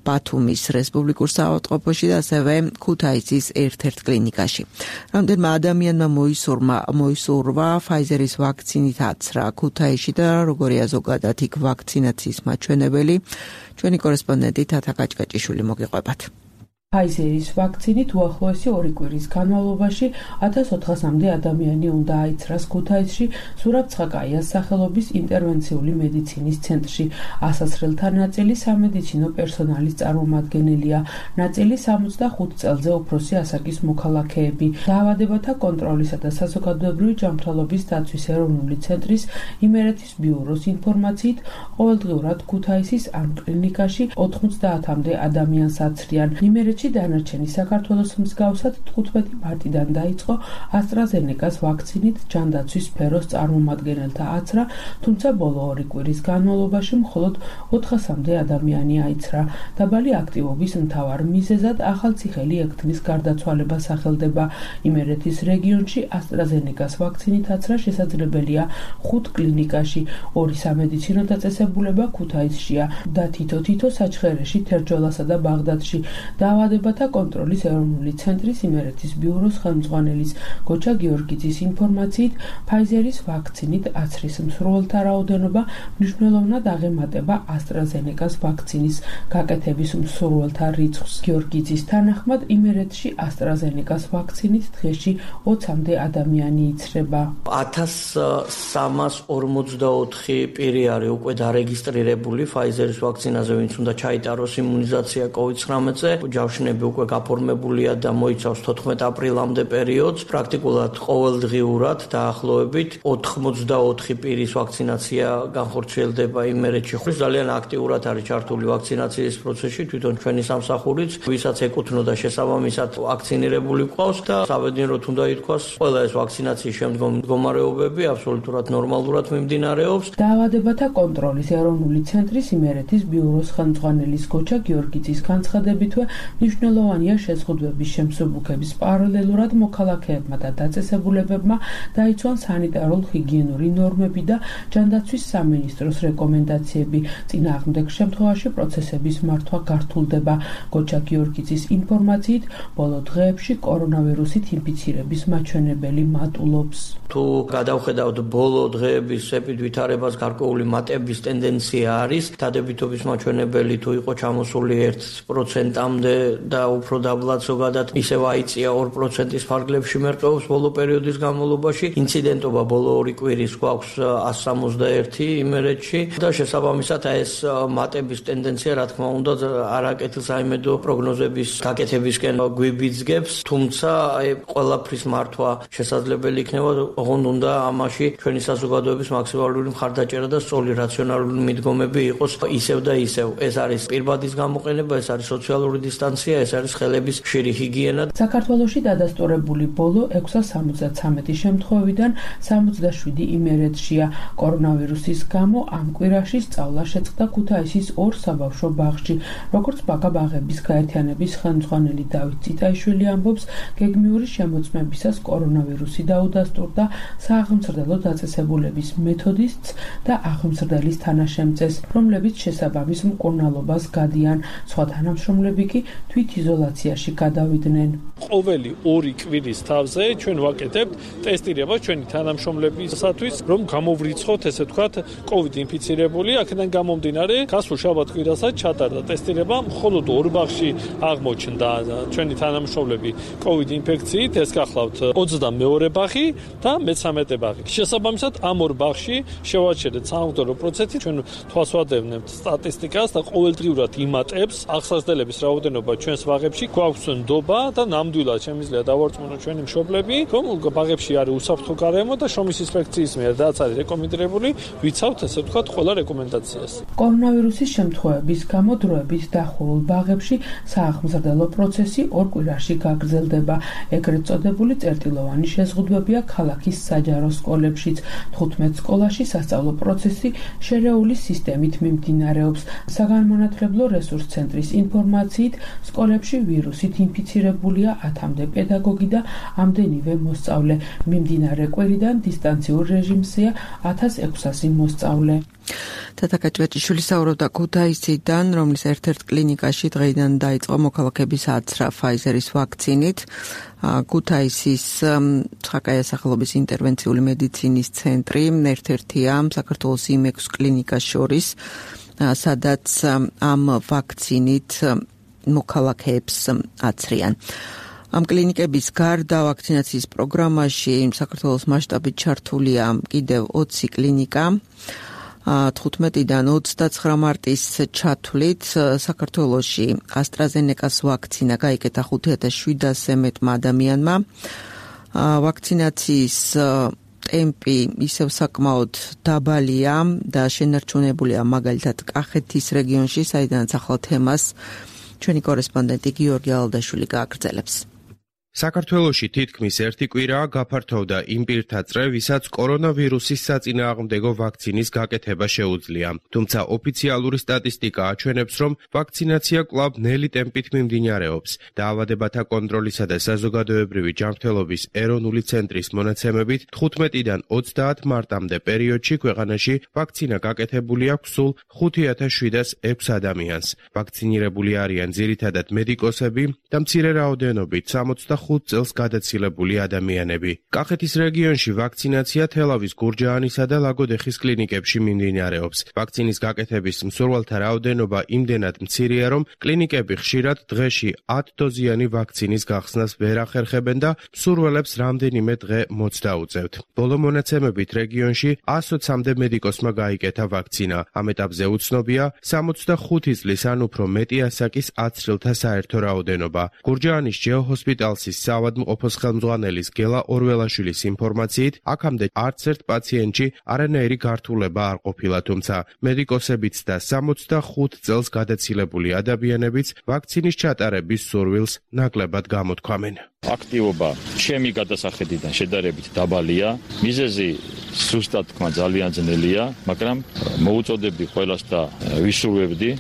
ბათუმის რესპუბლიკურ საავადმყოფოში და ასევე ქუთაისის ერთ-ერთ კლინიკაში. რამდენმა ადამიანმა მოისურვა Pfizer-ის ვაქცინით აცრა ქუთაისში და როგორია ზოგადად იქ ვაქცინაციის მაჩვენებელი, ჩვენი კორესპონდენტი თათა კაჭკაჭიშვილი მოგიყვებათ. Pfizer-ის ვაქცინით უახლოესი 2 კვირის განმავლობაში 1400-მდე ადამიანი უნდა აიცრას ქუთაისში ზურაბ-ცხაკაიას სახელობის ინტერვენციული მედიცინის ცენტრში. ასასრელთა ნაწილი სამედიცინო პერსონალის წარმომადგენელია, ნაწილი 65 წელზე უფროსი ასაკის მოქალაქეები. დაავადებათა კონტროლისა და საზოგადოებრივი ჯანმრთელობის დაცვის ეროვნული ცენტრის იმერეთის ბიუროს ინფორმაციით, ყოველდღიურად ქუთაისის ამ კლინიკაში 90-მდე ადამიანს აცრიან. იმერეთში დანარჩენი საქართველოს მსგავსად 15 მარტიდან დაიწყო AstraZeneca-ს ვაქცინით ჯანდაცვის სფეროს წარმომადგენელთა აცრა, თუმცა ბოლო 2 კვირის განმავლობაში მხოლოდ 400-მდე ადამიანი აიცრა. დაბალი აქტივობის მთავარ მიზეზად ახალციხელი ექთნის გარდაცვალება სახელდება. იმერეთის რეგიონში AstraZeneca-ს ვაქცინით აცრა შესაძლებელია 5 კლინიკაში, 2 სამედიცინო დაწესებულება ქუთაისშია და თითო საჩხერეში, თერჯოლასა და ბაღდადში. დაავადებათა კონტროლის ეროვნული ცენტრის იმერეთის ბიუროს ხელმძღვანელის გოჩა გიორგიძის ინფორმაციით, Pfizer-ის ვაქცინით აცრის მსურველთა რაოდენობა მნიშვნელოვნად აღემატება AstraZeneca-ს ვაქცინის გაკეთების მსურველთა რიცხვს. გიორგიძის თანახმად, იმერეთში AstraZeneca-ს ვაქცინით დღეში 20-მდე ადამიანი იცრება. 1344 პირი არის უკვე დარეგისტრირებული Pfizer-ის ვაქცინაზე, ვინც უნდა ჩაიტაროს იმუნიზაცია COVID-19-ზე. არჩევნები უკვე გაფორმებულია და მოიცავს 14 აპრილამდე პერიოდს. პრაქტიკულად ყოველდღიურად დაახლოებით 84 პირის ვაქცინაცია განხორციელდება იმერეთში. ძალიან აქტიურად არის ჩართული ვაქცინაციის პროცესში თვითონ ჩვენი სამსახურიც, ვისაც ეკუთვნოდა შესაბამისად ვაქცინირებული ყავს და საბედნიეროდ უნდა ითქვას, ყველა ეს ვაქცინაციის შემდგომ მდგომარეობები აბსოლუტურად ნორმალურად მიმდინარეობს. დაავადებათა კონტროლის ეროვნული ცენტრის იმერეთის ბიუროს ხელმძღვანელის გოჩა გიორგიძის განცხადებითვე მნიშვნელოვანია შეზღუდვების შემსუბუქების პარალელურად მოქალაქეებმა და დაწესებულებებმა დაიცვან სანიტარულ-ჰიგიენური ნორმები და ჯანდაცვის სამინისტროს რეკომენდაციები. წინააღმდეგ შემთხვევაში პროცესების მართვა გართულდება. გოჩა გიორგიძის ინფორმაციით, ბოლო დღეებში კორონავირუსით ინფიცირების მაჩვენებელი მატულობს. თუ გადავხედავთ ბოლო დღეების ვითარებას, გარკვეული მატების ტენდენცია არის. დადებითობის მაჩვენებელი თუ იყო ჩამოსული 1%-მდე და უფრო დაბლად ზოგადად ისევ აიწია 2%-ის ფარგლებში მერყეობს ბოლო პერიოდის განმავლობაში. ინციდენტობა ბოლო 2 კვირის გვაქვს 161 იმერეთში და შესაბამისად ეს მატების ტენდენცია რა თქმა უნდა არაკეთილ საიმედო პროგნოზების გაკეთებისკენ გვიბიძგებს, თუმცა ყველაფრის მართვა შესაძლებელი იქნება, ოღონდ უნდა ამაში ჩვენი საზოგადოების მაქსიმალური მხარდაჭერა და სწორი რაციონალური მიდგომები იყოს ისევ და ისევ. ეს არის პირბადის გამოყენება, ეს არის სოციალური დისტანცია, ეს არის ხელების ხშირი ჰიგიენა. საქართველოში დადასტურებული ბოლო 673 შემთხვევიდან 77 იმერეთშია. კორონავირუსის გამო ამ კვირაში სწავლა შეწყდა ქუთაისის 2 საბავშვო ბაღში. როგორც ბაღების გაერთიანების ხელმძღვანელი დავით წიტაიშვილი ამბობს, გეგმიური შემოწმებისას კორონავირუსი დაუდასტურდა სააღმსრდელო დაწესებულების მეთოდისტს და აღმსრდელის თანაშემწეს, რომლებიც შესაბამის მკურნალობას გადიან. სხვა თანამშრომლები კი თვითიზოლაციაში გადავიდნენ. ყოველი 2 კვირის თავზე ჩვენ ვაკეთებთ ტესტირებას ჩვენი თანამშრომლებისათვის, რომ გამოვრიცხოთ, ესე ვთქვათ, COVID ინფიცირებული. აქედან გამომდინარე, გასულ შაბათ-კვირასაც ჩატარდა ტესტირება, მხოლოდ 2 ბაღში აღმოჩნდა ჩვენი თანამშრომლები COVID ინფექციით, ეს გახლავთ 22 ბაღი და 13 ბაღი. შესაბამისად, ამ 2 ბაღში შევაჩერეთ სამხდომრო პროცესი, ჩვენ თვალს ვადევნებთ სტატისტიკას და ყოველდღიურად იმატებს აღსაზრდელების რაოდენობა ჩვენს ბაღებში. გვაქვს ნდობა და ნამდვილად შემიძლია დავარწმუნოთ ჩვენი მშობლები, რომ ბაღებში არის უსაფრთხო გარემო და შრომის ინსპექციის მიერ რაც არის რეკომენდებული, ვიცავთ ესე ვთქვათ ყველა რეკომენდაციას. კორონავირუსის შემთხვევების გამო დროებით დახურულ ბაღებში სააღმსრდელო პროცესი 2 კვირაში გაგრძელდება. ეგრეთ წოდებული წერტილოვანი შეზღუდვებია ქალაქის საჯარო სკოლებშიც. 15 სკოლაში სასწავლო პროცესი შერეული სისტემით მიმდინარეობს. საგანმანათლებლო რესურს ცენტრის ინფორმაციით, სკოლებში ვირუსით ინფიცირებულია 10-მდე პედაგოგი და ამდენივე მოსწავლე. მიმდინარე კვირიდან დისტანციურ რეჟიმზეა 1600 მოსწავლე. თათა კაჭვაჭიშვილი საუბრობდა ქუთაისიდან, რომლის ერთ-ერთ კლინიკაში დღეიდან დაიწყო მოქალაქეების აცრა ფაიზერის ვაქცინით. ქუთაისის ცხაკაია სახელობის ინტერვენციული მედიცინის ცენტრი ერთ-ერთია საქართველოს იმ 6 კლინიკას შორის, სადაც ამ ვაქცინით მოქალაქეებს აცრიან. ამ კლინიკების გარდა ვაქცინაციის პროგრამაში საქართველოს მასშტაბით ჩართულია კიდევ 20 კლინიკა. 15-დან 29 მარტის ჩათვლით საქართველოში AstraZeneca-ს ვაქცინა გაიკეთა 5700-ზე მეტმა ადამიანმა. ვაქცინაციის ტემპი ისევ საკმაოდ დაბალია და შენარჩუნებულია მაგალითად კახეთის რეგიონში, საიდანაც ახლა თემას ჩვენი კორესპონდენტი გიორგი ალდაშვილი გააგრძელებს. საქართველოში თითქმის 1 კვირაა გაფართოვდა იმ პირთა წრე, ვისაც კორონავირუსის საწინააღმდეგო ვაქცინის გაკეთება შეუძლია. თუმცა ოფიციალური სტატისტიკა აჩვენებს, რომ ვაქცინაცია კვლავ ნელი ტემპით მიმდინარეობს. დაავადებათა კონტროლისა და საზოგადოებრივი ჯანმრთელობის ეროვნული ცენტრის მონაცემებით 15-დან 30 მარტამდე პერიოდში ქვეყანაში ვაქცინა გაკეთებული აქვს სულ 5706 ადამიანს. ვაქცინირებული არიან ძირითადად მედიკოსები და მცირე რაოდენობით 65 65 წელს გადაცილებული ადამიანები. კახეთის რეგიონში ვაქცინაცია თელავის, გურჯაანისა და ლაგოდეხის კლინიკებში მიმდინარეობს. ვაქცინის გაკეთების მსურველთა რაოდენობა იმდენად მცირეა, რომ კლინიკები ხშირად დღეში 10 დოზიანი ვაქცინის გახსნას ვერ ახერხებენ და მსურველებს რამდენიმე დღე მოცდა უწევთ. ბოლო მონაცემებით რეგიონში 120-მდე მედიკოსმა გაიკეთა ვაქცინა. ამ ეტაპზე უცნობია 65 წლის ან უფრო მეტი ასაკის აცრილთა საერთო რაოდენობა. გურჯაანის ჯეოჰოსპიტალსის საავადმყოფოს ხელმძღვანელის გელა ორველაშვილის ინფორმაციით, აქამდე არც ერთ პაციენტში არანაირი გართულება არ ყოფილა, თუმცა მედიკოსებიც და 65 წელს გადაცილებული ადამიანებიც ვაქცინის ჩატარების სურვილს ნაკლებად გამოთქვამენ. აქტივობა ჩემი გადასახედიდან შედარებით დაბალია. მიზეზი სუსტად თქვა ძალიან ძნელია, მაგრამ მოუწოდებდი ყველას და ვისურვებდი,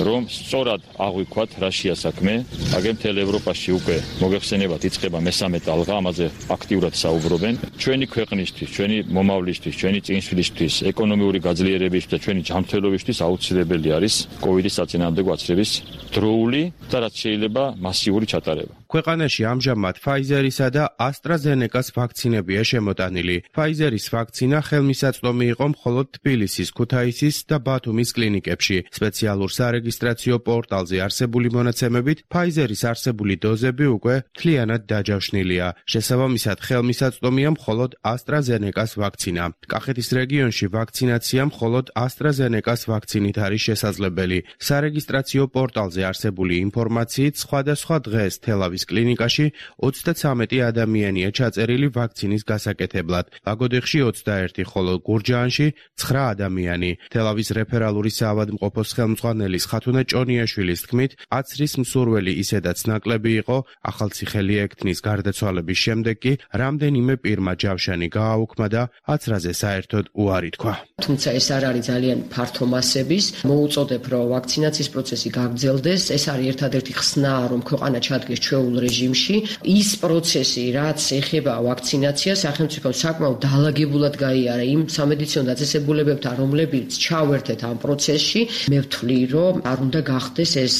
რომ სწორად აღვიქვათ რაშია საქმე. აგერ მთელ ევროპაში უკვე მოგეხსენებათ იწყება მესამე ტალღა, ამაზე აქტიურად საუბრობენ. ჩვენი ქვეყნისთვის, ჩვენი მომავლისთვის, ჩვენი წინსვლისთვის, ეკონომიური გაძლიერებისთვის და ჩვენი ჯანმრთელობისთვის აუცილებელი არის კოვიდის საწინააღმდეგო აცრების დროული და რაც შეიძლება მასიური ჩატარება. ქვეყანაში ამჟამად Pfizer-ისა და AstraZeneca-ს ვაქცინებია შემოტანილი. Pfizer-ის ვაქცინა ხელმისაწვდომი იყო მხოლოდ თბილისის, ქუთაისის და ბათუმის კლინიკებში. სპეციალურ სარეგისტრაციო პორტალზე არსებული მონაცემებით, Pfizer-ის არსებული დოზები უკვე მთლიანად დაჯავშნილია. შესაბამისად, ხელმისაწვდომია მხოლოდ AstraZeneca-ს ვაქცინა. კახეთის რეგიონში ვაქცინაცია მხოლოდ AstraZeneca-ს ვაქცინით არის შესაძლებელი. სარეგისტრაციო პორტალზე არსებული ინფორმაციით, სხვადასხვა დღეს თელავის კლინიკაში 33 ადამიანია ჩაწერილი ვაქცინის გასაკეთებლად. ლაგოდეხში 21, ხოლო გურჯაანში 9 ადამიანი. თელავის რეფერალური საავადმყოფოს ხელმძღვანელის ხათუნა ჭონიაშვილის თქმით, აცრის მსურველი ისედაც ნაკლები იყო, ახალციხელი ექთნის გარდაცვალების შემდეგ კი რამდენიმე პირმა ჯავშანი გააუქმა და აცრაზე საერთოდ უარი თქვა. თუმცა ეს არ არის ძალიან ფართო მასების, მოუწოდებ, რომ ვაქცინაციის პროცესი გაგრძელდეს. ეს არის ერთადერთი ხსნა, რომ ქვეყანა ჩადგეს ჩვეულ რეჟიმში. ის პროცესი, რაც ეხება ვაქცინაციას, სახელმწიფომ საკმაოდ დაალაგებულად გაიარა იმ სამედიცინო დაწესებულებებთან, რომლებიც ჩავერთეთ ამ პროცესში. მე ვთვლი, რომ არ უნდა გახდეს ეს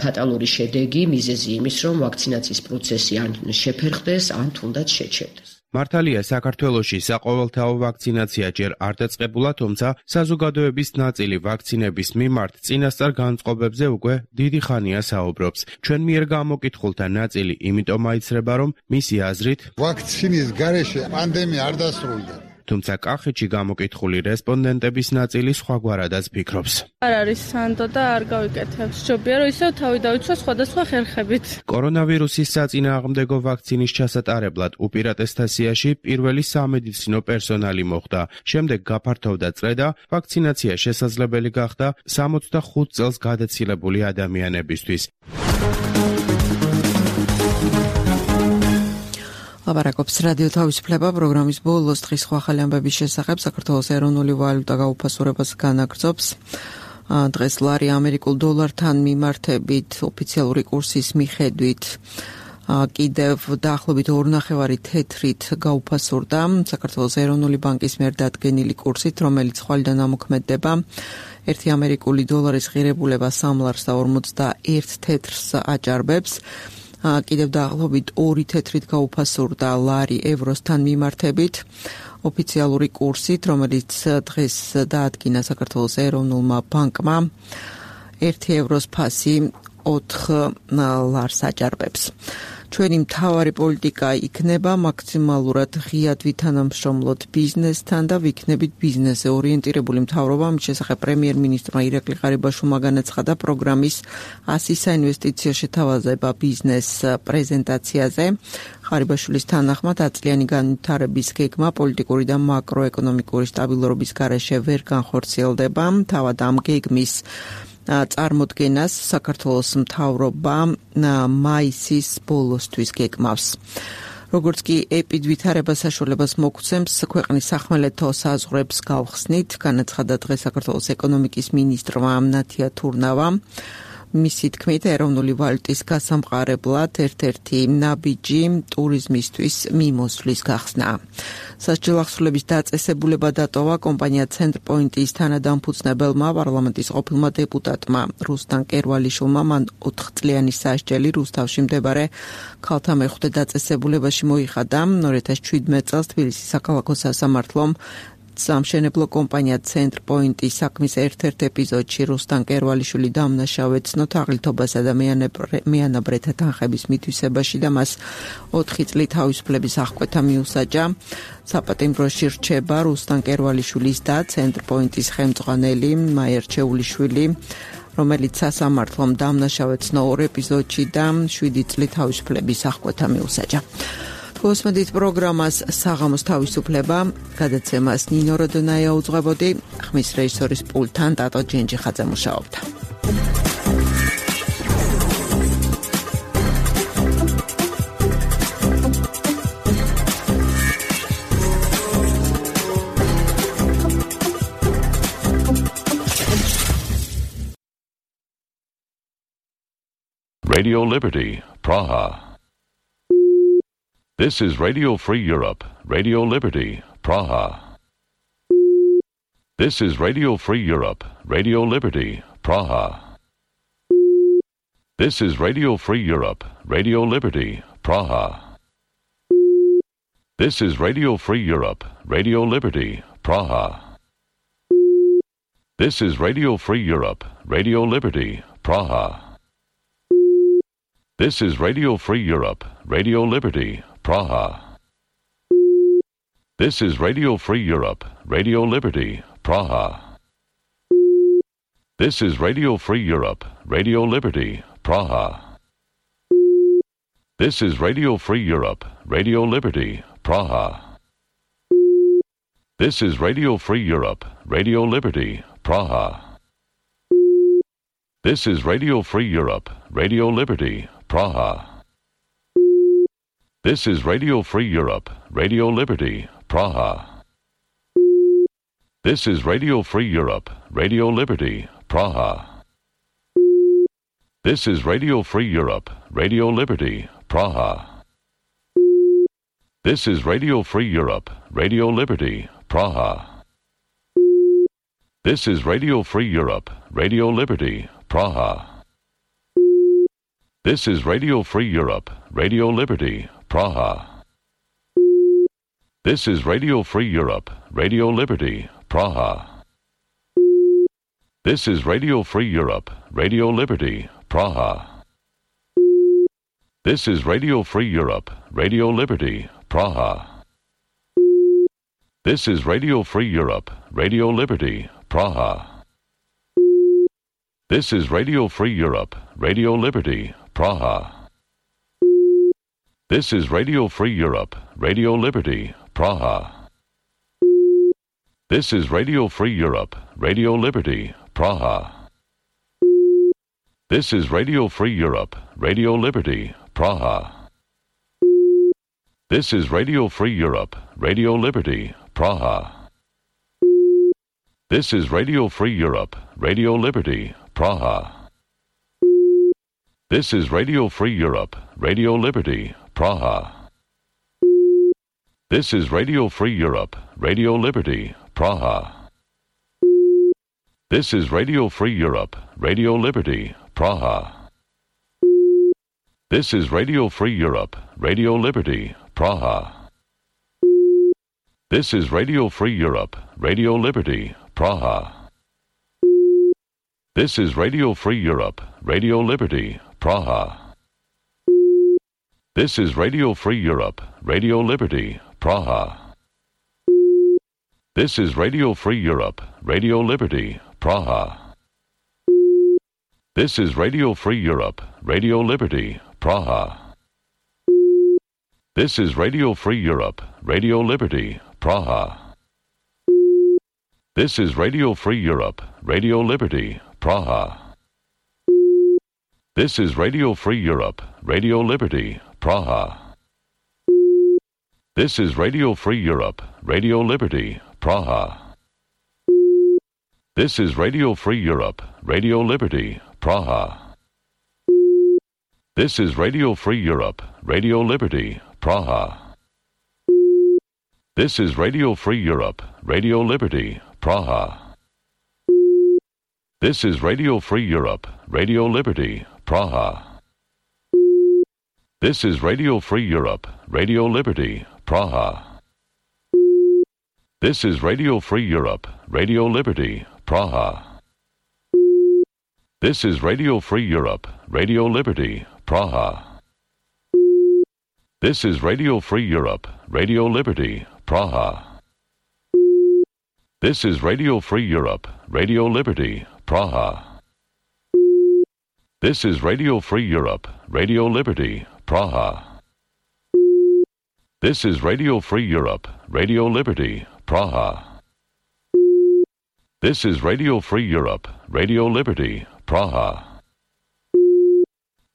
ფატალური შედეგი, მიზეზი იმის, რომ ვაქცინაციის პროცესი ან შეფერხდეს, ან თუნდაც შეჩერდეს. მართალია საქართველოში საყოველთაო ვაქცინაცია ჯერ არ დაწყებულა, თუმცა საზოგადოების ნაწილი ვაქცინების მიმართ წინასწარ განწყობებზე უკვე დიდი ხანია საუბრობს. ჩვენ მიერ გამოკითხულთა ნაწილი იმიტომ აიცრება, რომ მისი აზრით ვაქცინის გარეშე პანდემია არ დასრულდა. თუმცა კახეთში გამოკითხული რესპონდენტების ნაწილი სხვაგვარადაც ფიქრობს. არ არის სანდო და არ გავიკეთებს. ჯობია რომ ისევ თავი დავიცვა სხვადასხვა ხერხებით. კორონავირუსის საწინააღმდეგო ვაქცინის ჩასატარებლად უპირატესთა სიაში პირველი სამედიცინო პერსონალი მოხვდა. შემდეგ გაფართოვდა წრე და ვაქცინაცია შესაძლებელი გახდა 65 წელს გადაცილებული ადამიანებისთვის. ლაპარაკობს რადიო თავისუფლება პროგრამის ბოლოს დღის სხვა ახალი ამბების შესახებ. საქართველოს ეროვნული ვალუტა გაუფასურებას განაგრძობს. დღეს ლარი ამერიკულ დოლართან მიმართებით ოფიციალური კურსის მიხედვით კიდევ დაახლოებით 2.5 თეთრით გაუფასურდა საქართველოს ეროვნული ბანკის მიერ დადგენილი კურსით, რომელიც ხვალიდან ამოქმედდება. 1 ამერიკული დოლარის ღირებულება 3 ლარს და 51 თეთრს აჭარბებს. კიდევ დაახლოებით 2 თეთრით გაუფასურდა ლარი ევროსთან მიმართებით ოფიციალური კურსით, რომელიც დღეს დაადგინა საქართველოს ეროვნულმა ბანკმა. 1 ევროს ფასი 4 ლარს აჭარბებს. ჩვენი მთავარი პოლიტიკა იქნება მაქსიმალურად ღიად ვითანამშრომლოთ ბიზნესთან და ვიქნებით ბიზნესზე ორიენტირებული მთავრობა. ამის შესახებ პრემიერ-მინისტრმა ირაკლი ღარიბაშვილმა განაცხადა პროგრამის 100 საინვესტიციო შეთავაზება ბიზნეს პრეზენტაციაზე. ღარიბაშვილის თანახმად აწლიანი განვითარების გეგმა პოლიტიკური და მაკროეკონომიკური სტაბილურობის გარეშე ვერ განხორციელდება. თავად ამ გეგმის წარმოდგენას საქართველოს მთავრობა მაისის ბოლოსთვის გეგმავს. როგორც კი ეპიდვითარება საშუალებას მოგცემს ქვეყნის სახმელეთო საზღვრებს გავხსნით, განაცხადა დღეს საქართველოს ეკონომიკის მინისტრმა ნათია თურნავამ. მისი თქმით, ეროვნული ვალუტის გასამყარებლად ერთ-ერთი ნაბიჯი ტურიზმისთვის მიმოსვლის გახსნა. სასჯელ ახსნილების დაწესებულება დატოვა კომპანია ცენტრპოინტის თანადამფუძნებელმა პარლამენტის ყოფილმა დეპუტატმა რუსტან კერვალიშვილმა. მან 4 წლიანი სასჯელი რუსთავში მდებარე ქალთა მეხუთე დაწესებულებაში მოიხადა. 2017 წელს თბილისის საქალაქო სასამართლომ სამშენებლო კომპანია ცენტრპოინტის საქმის ერთ-ერთ ეპიზოდში რუსტან კერვალიშვილი დამნაშავე ცნო თაღლითობასა და მეანაბრეთა თანხების მითვისებაში და მას 4 წლით თავისუფლების აღკვეთა მიუსაჯა. საპატიმროში რჩება რუსტან კერვალიშვილის და ცენტრპოინტის ხელმძღვანელი მაიერ ჩეულიშვილი, რომელიც სასამართლომ დამნაშავე ცნო 2 ეპიზოდში და 7 წლით თავისუფლების აღკვეთა მიუსაჯა. მოსმედით პროგრამას საღამოს თავისუფლება, გადაცემას ნინო როდონაია უძღვებოდი, ხმის რეჟისორის პულტთან ტატო ჯენჯიხაძე მუშაობდა. Radio Liberty, Praha. This is Radio Free Europe, Radio Liberty, Praha. This is Radio Free Europe, Radio Liberty, Praha. This is Radio Free Europe, Radio Liberty, Praha. This is Radio Free Europe, Radio Liberty, Praha. This is Radio Free Europe, Radio Liberty, Praha. This is Radio Free Europe, Radio Liberty, Praha. This is Radio Free Europe, Radio Liberty, Praha. This is Radio Free Europe, Radio Liberty, Praha. This is Radio Free Europe, Radio Liberty, Praha. This is Radio Free Europe, Radio Liberty, Praha. This is Radio Free Europe, Radio Liberty, Praha. This is Radio Free Europe, Radio Liberty, Praha. This is Radio Free Europe, Radio Liberty, Praha. This is Radio Free Europe, Radio Liberty, Praha. This is Radio Free Europe, Radio Liberty, Praha. This is Radio Free Europe, Radio Liberty, Praha. This is Radio Free Europe, Radio Liberty, Praha. This is Radio Free Europe, Radio Liberty, Praha. This is Radio Free Europe, Radio Liberty, Praha. This is Radio Free Europe, Radio Liberty, Praha. This is Radio Free Europe, Radio Liberty, Praha. This is Radio Free Europe, Radio Liberty, Praha. This is Radio Free Europe, Radio Liberty, Praha. This is Radio Free Europe, Radio Liberty, Praha. This is Radio Free Europe, Radio Liberty, Praha. This is Radio Free Europe, Radio Liberty, Praha. This is Radio Free Europe, Radio Liberty, Praha. This is Radio Free Europe, Radio Liberty, Praha. This is Radio Free Europe, Radio Liberty, Praha. This is Radio Free Europe, Radio Liberty, Praha. This is Radio Free Europe, Radio Liberty, Praha. This is Radio Free Europe, Radio Liberty, Praha. This is Radio Free Europe, Radio Liberty, Praha. This is Radio Free Europe, Radio Liberty, Praha. This is Radio Free Europe, Radio Liberty, Praha. This is Radio Free Europe, Radio Liberty, Praha. This is Radio Free Europe, Radio Liberty, Praha. This is Radio Free Europe, Radio Liberty, Praha. This is Radio Free Europe, Radio Liberty, Praha. This is Radio Free Europe, Radio Liberty, Praha. This is Radio Free Europe, Radio Liberty, Praha. This is Radio Free Europe, Radio Liberty, Praha. This is Radio Free Europe, Radio Liberty, Praha. This is Radio Free Europe, Radio Liberty, Praha. This is Radio Free Europe, Radio Liberty, Praha. This is Radio Free Europe, Radio Liberty, Praha. This is Radio Free Europe, Radio Liberty, Praha. This is Radio Free Europe, Radio Liberty, Praha. This is Radio Free Europe, Radio Liberty, Praha. This is Radio Free Europe, Radio Liberty, Praha. This is Radio Free Europe, Radio Liberty, Praha. This is Radio Free Europe, Radio Liberty, Praha.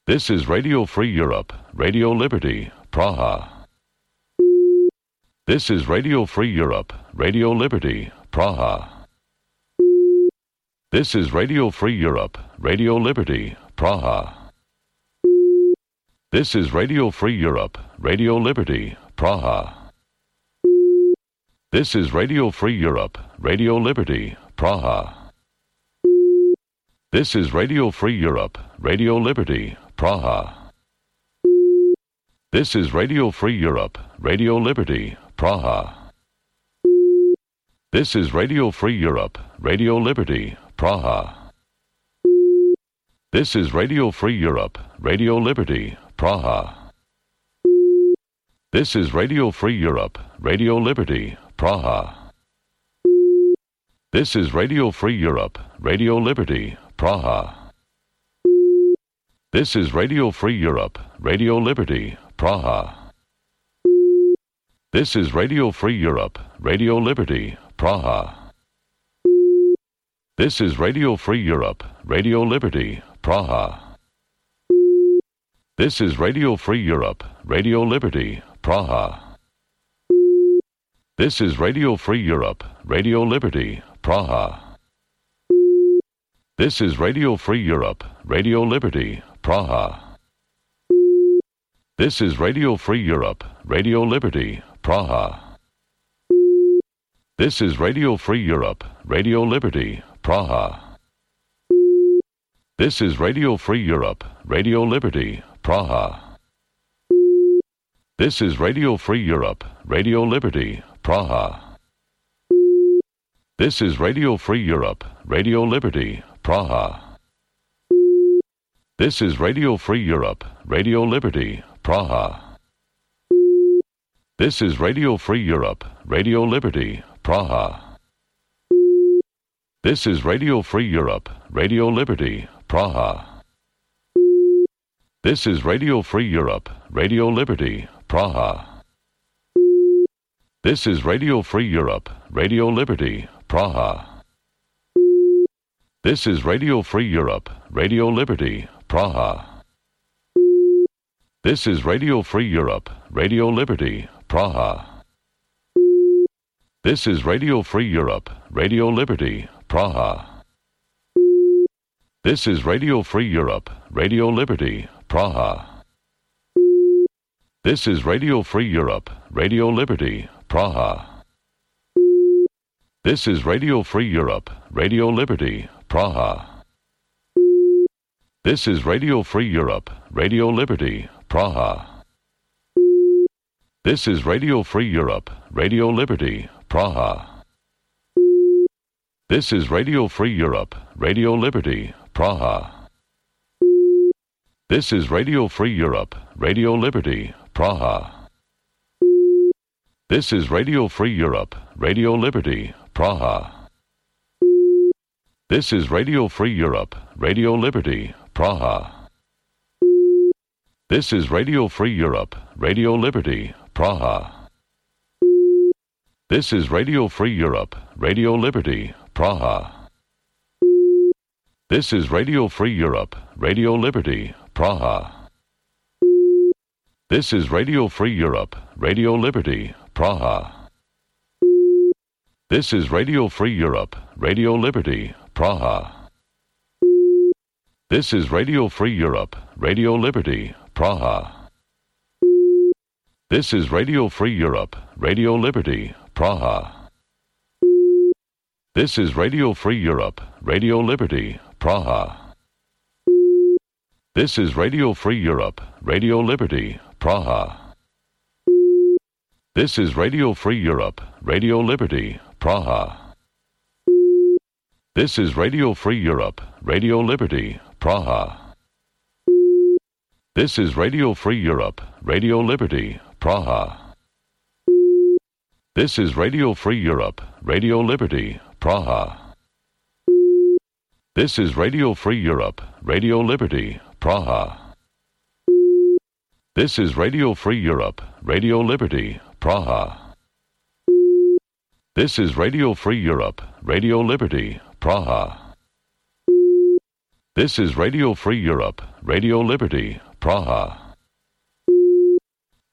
This is Radio Free Europe, Radio Liberty, Praha. This is Radio Free Europe, Radio Liberty, Praha. This is Radio Free Europe, Radio Liberty, Praha. This is Radio Free Europe, Radio Liberty, Praha. This is Radio Free Europe, Radio Liberty, Praha. This is Radio Free Europe, Radio Liberty, Praha. This is Radio Free Europe, Radio Liberty, Praha. This is Radio Free Europe, Radio Liberty, Praha. This is Radio Free Europe, Radio Liberty, Praha. This is Radio Free Europe, Radio Liberty, Praha. This is Radio Free Europe, Radio Liberty, Praha. This is Radio Free Europe, Radio Liberty, Praha. This is Radio Free Europe, Radio Liberty, Praha. This is Radio Free Europe, Radio Liberty, Praha. This is Radio Free Europe, Radio Liberty, Praha. This is Radio Free Europe, Radio Liberty, Praha. This is Radio Free Europe, Radio Liberty, Praha. This is Radio Free Europe, Radio Liberty, Praha. This is Radio Free Europe, Radio Liberty, Praha. This is Radio Free Europe, Radio Liberty, Praha. This is Radio Free Europe, Radio Liberty, Praha. This is Radio Free Europe, Radio Liberty, Praha. This is Radio Free Europe, Radio Liberty, Praha. This is Radio Free Europe, Radio Liberty, Praha. This is Radio Free Europe, Radio Liberty, Praha. This is Radio Free Europe, Radio Liberty, Praha. This is Radio Free Europe, Radio Liberty, Praha. This is Radio Free Europe, Radio Liberty, Praha. This is Radio Free Europe, Radio Liberty, Praha. This is Radio Free Europe, Radio Liberty, Praha. This is Radio Free Europe, Radio Liberty, Praha. This is Radio Free Europe, Radio Liberty, Praha. This is Radio Free Europe, Radio Liberty, Praha. This is Radio Free Europe, Radio Liberty, Praha. This is Radio Free Europe, Radio Liberty, Praha. This is Radio Free Europe, Radio Liberty, Praha. This is Radio Free Europe, Radio Liberty, Praha. This is Radio Free Europe, Radio Liberty, Praha. This is Radio Free Europe, Radio Liberty, Praha. This is Radio Free Europe, Radio Liberty, Praha. This is Radio Free Europe, Radio Liberty, Praha. This is Radio Free Europe, Radio Liberty, Praha. This is Radio Free Europe, Radio Liberty, Praha. This is Radio Free Europe, Radio Liberty, Praha. This is Radio Free Europe, Radio Liberty, Praha. This is Radio Free Europe, Radio Liberty, Praha. This is Radio Free Europe, Radio Liberty, Praha. This is Radio Free Europe, Radio Liberty, Praha. This is Radio Free Europe, Radio Liberty, Praha. This is Radio Free Europe, Radio Liberty, Praha. This is Radio Free Europe, Radio Liberty, Praha. This is Radio Free Europe, Radio Liberty, Praha. This is Radio Free Europe, Radio Liberty, Praha. This is Radio Free Europe, Radio Liberty, Praha. This is Radio Free Europe, Radio Liberty, Praha. This is Radio Free Europe, Radio Liberty, Praha.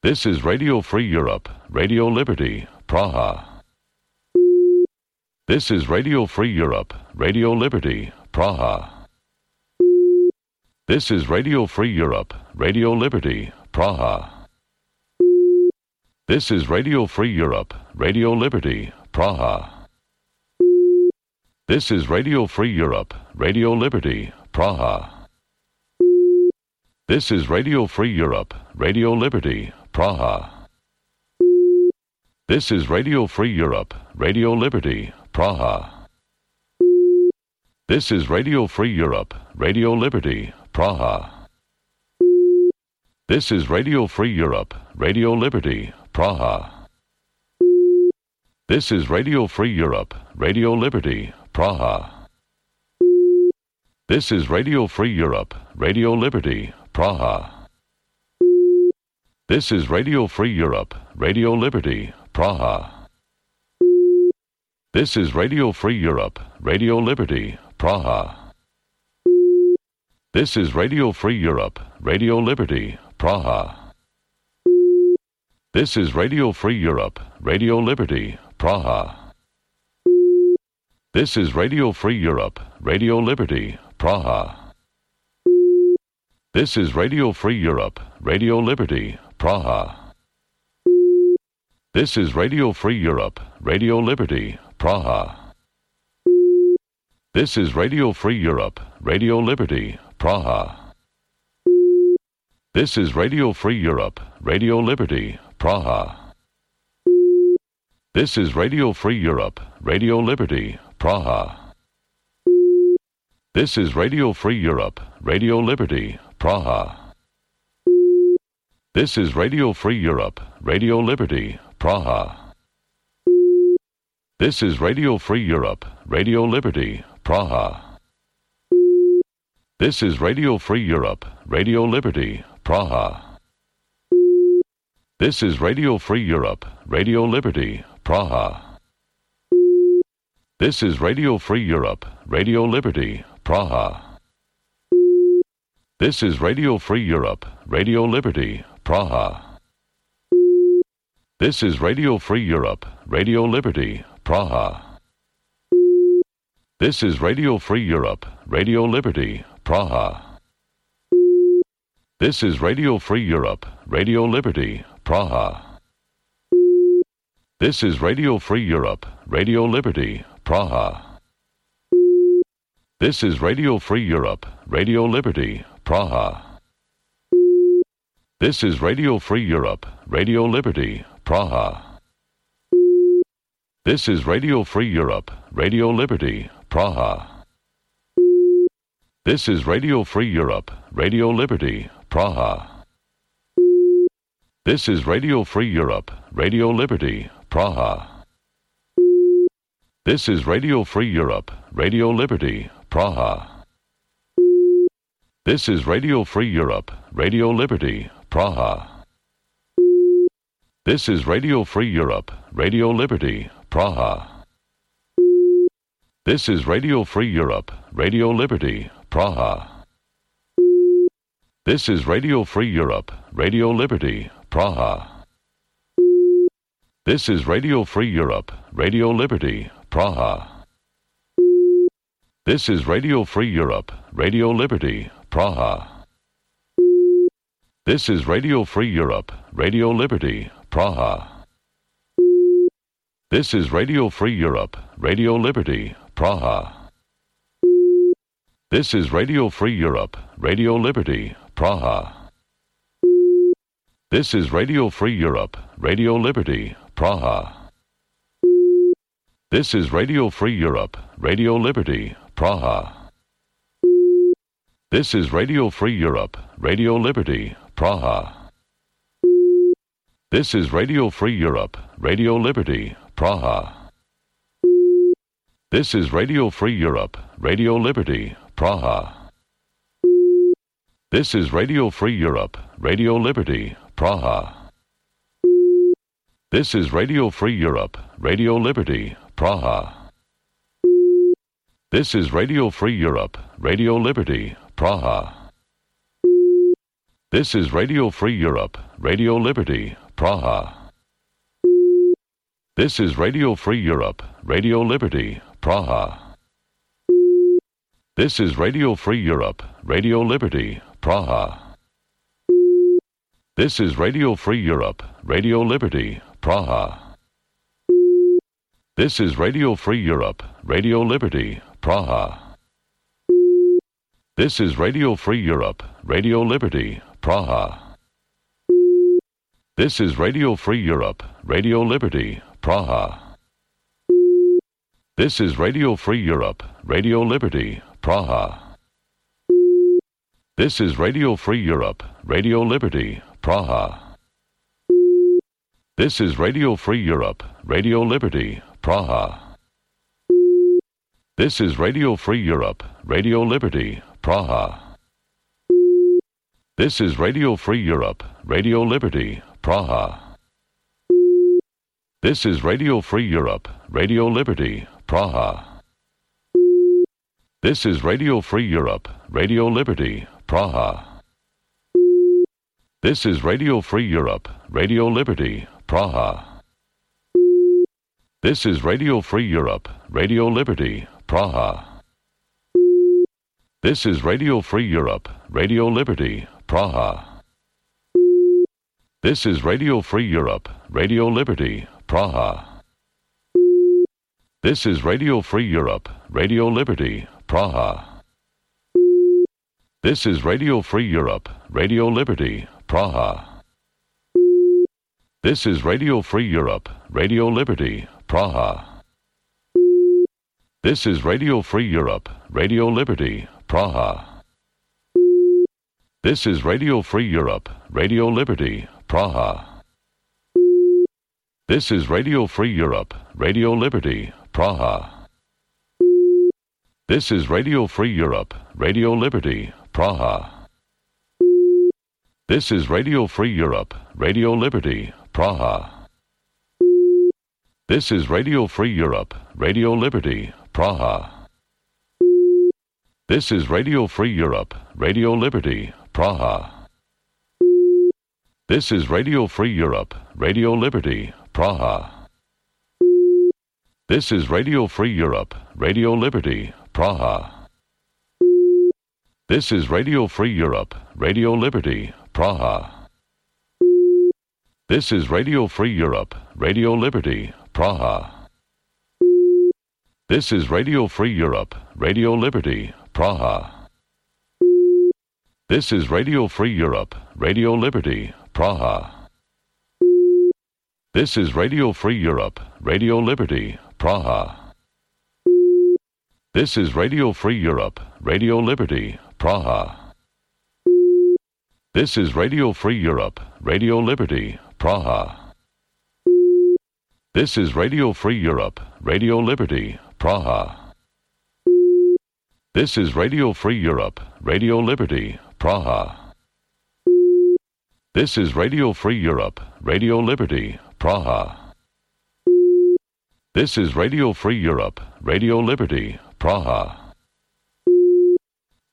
This is Radio Free Europe, Radio Liberty, Praha. This is Radio Free Europe, Radio Liberty, Praha. This is Radio Free Europe, Radio Liberty, Praha. This is Radio Free Europe, Radio Liberty, Praha. This is Radio Free Europe, Radio Liberty, Praha. This is Radio Free Europe, Radio Liberty, Praha. This is Radio Free Europe, Radio Liberty, Praha. This is Radio Free Europe, Radio Liberty, Praha. This is Radio Free Europe, Radio Liberty, Praha. This is Radio Free Europe, Radio Liberty, Praha. This is Radio Free Europe, Radio Liberty, Praha. This is Radio Free Europe, Radio Liberty, Praha. This is Radio Free Europe, Radio Liberty, Praha. This is Radio Free Europe, Radio Liberty, Praha. This is Radio Free Europe, Radio Liberty, Praha. This is Radio Free Europe, Radio Liberty, Praha. This is Radio Free Europe, Radio Liberty, Praha. This is Radio Free Europe, Radio Liberty, Praha. This is Radio Free Europe, Radio Liberty, Praha. This is Radio Free Europe, Radio Liberty, Praha. This is Radio Free Europe, Radio Liberty, Praha. This is Radio Free Europe, Radio Liberty, Praha. This is Radio Free Europe, Radio Liberty, Praha. This is Radio Free Europe, Radio Liberty, Praha. This is Radio Free Europe, Radio Liberty, Praha. This is Radio Free Europe, Radio Liberty, Praha. This is Radio Free Europe, Radio Liberty, Praha. This is Radio Free Europe, Radio Liberty, Praha. This is Radio Free Europe, Radio Liberty, Praha. This is Radio Free Europe, Radio Liberty, Praha. This is Radio Free Europe, Radio Liberty, Praha. This is Radio Free Europe, Radio Liberty, Praha. This is Radio Free Europe, Radio Liberty, Praha. This is Radio Free Europe, Radio Liberty, Praha. This is Radio Free Europe, Radio Liberty, Praha. This is Radio Free Europe, Radio Liberty, Praha. This is Radio Free Europe, Radio Liberty, Praha. This is Radio Free Europe, Radio Liberty, Praha. This is Radio Free Europe, Radio Liberty, Praha. This is Radio Free Europe, Radio Liberty, Praha. This is Radio Free Europe, Radio Liberty, Praha. This is Radio Free Europe, Radio Liberty, Praha. This is Radio Free Europe, Radio Liberty, Praha. This is Radio Free Europe, Radio Liberty, Praha. This is Radio Free Europe, Radio Liberty, Praha. This is Radio Free Europe, Radio Liberty, Praha. This is Radio Free Europe, Radio Liberty, Praha. This is Radio Free Europe, Radio Liberty, Praha. This is Radio Free Europe, Radio Liberty, Praha. This is Radio Free Europe, Radio Liberty, Praha. This is Radio Free Europe, Radio Liberty, Praha. This is Radio Free Europe, Radio Liberty, Praha. This is Radio Free Europe, Radio Liberty, Praha. This is Radio Free Europe, Radio Liberty, Praha. This is Radio Free Europe, Radio Liberty, Praha. This is Radio Free Europe, Radio Liberty, Praha. This is Radio Free Europe, Radio Liberty, Praha. This is Radio Free Europe, Radio Liberty, Praha. This is Radio Free Europe, Radio Liberty, Praha. This is Radio Free Europe, Radio Liberty, Praha. This is Radio Free Europe, Radio Liberty, Praha. This is Radio Free Europe, Radio Liberty, Praha. This is Radio Free Europe, Radio Liberty, Praha. This is Radio Free Europe, Radio Liberty, Praha. This is Radio Free Europe, Radio Liberty, Praha. This is Radio Free Europe, Radio Liberty, Praha. This is Radio Free Europe, Radio Liberty, Praha. This is Radio Free Europe, Radio Liberty, Praha. This is Radio Free Europe, Radio Liberty, Praha. This is Radio Free Europe, Radio Liberty, Praha. This is Radio Free Europe, Radio Liberty, Praha. This is Radio Free Europe, Radio Liberty, Praha. This is Radio Free Europe, Radio Liberty, Praha. This is Radio Free Europe, Radio Liberty, Praha. This is Radio Free Europe, Radio Liberty, Praha. This is Radio Free Europe, Radio Liberty, Praha. This is Radio Free Europe, Radio Liberty, Praha. This is Radio Free Europe, Radio Liberty, Praha. This is Radio Free Europe, Radio Liberty, Praha. This is Radio Free Europe, Radio Liberty, Praha. This is Radio Free Europe, Radio Liberty, Praha. This is Radio Free Europe, Radio Liberty, Praha. This is Radio Free Europe, Radio Liberty, Praha. This is Radio Free Europe, Radio Liberty, Praha. This is Radio Free Europe, Radio Liberty, Praha. This is Radio Free Europe, Radio Liberty, Praha. This is Radio Free Europe, Radio Liberty, Praha. This is Radio Free Europe, Radio Liberty, Praha. This is Radio Free Europe, Radio Liberty, Praha. This is Radio Free Europe, Radio Liberty, Praha. This is Radio Free Europe, Radio Liberty, Praha. This is Radio Free Europe, Radio Liberty, Praha. This is Radio Free Europe, Radio Liberty, Praha. This is Radio Free Europe, Radio Liberty, Praha. This is Radio Free Europe, Radio Liberty, Praha. This is Radio Free Europe, Radio Liberty, Praha.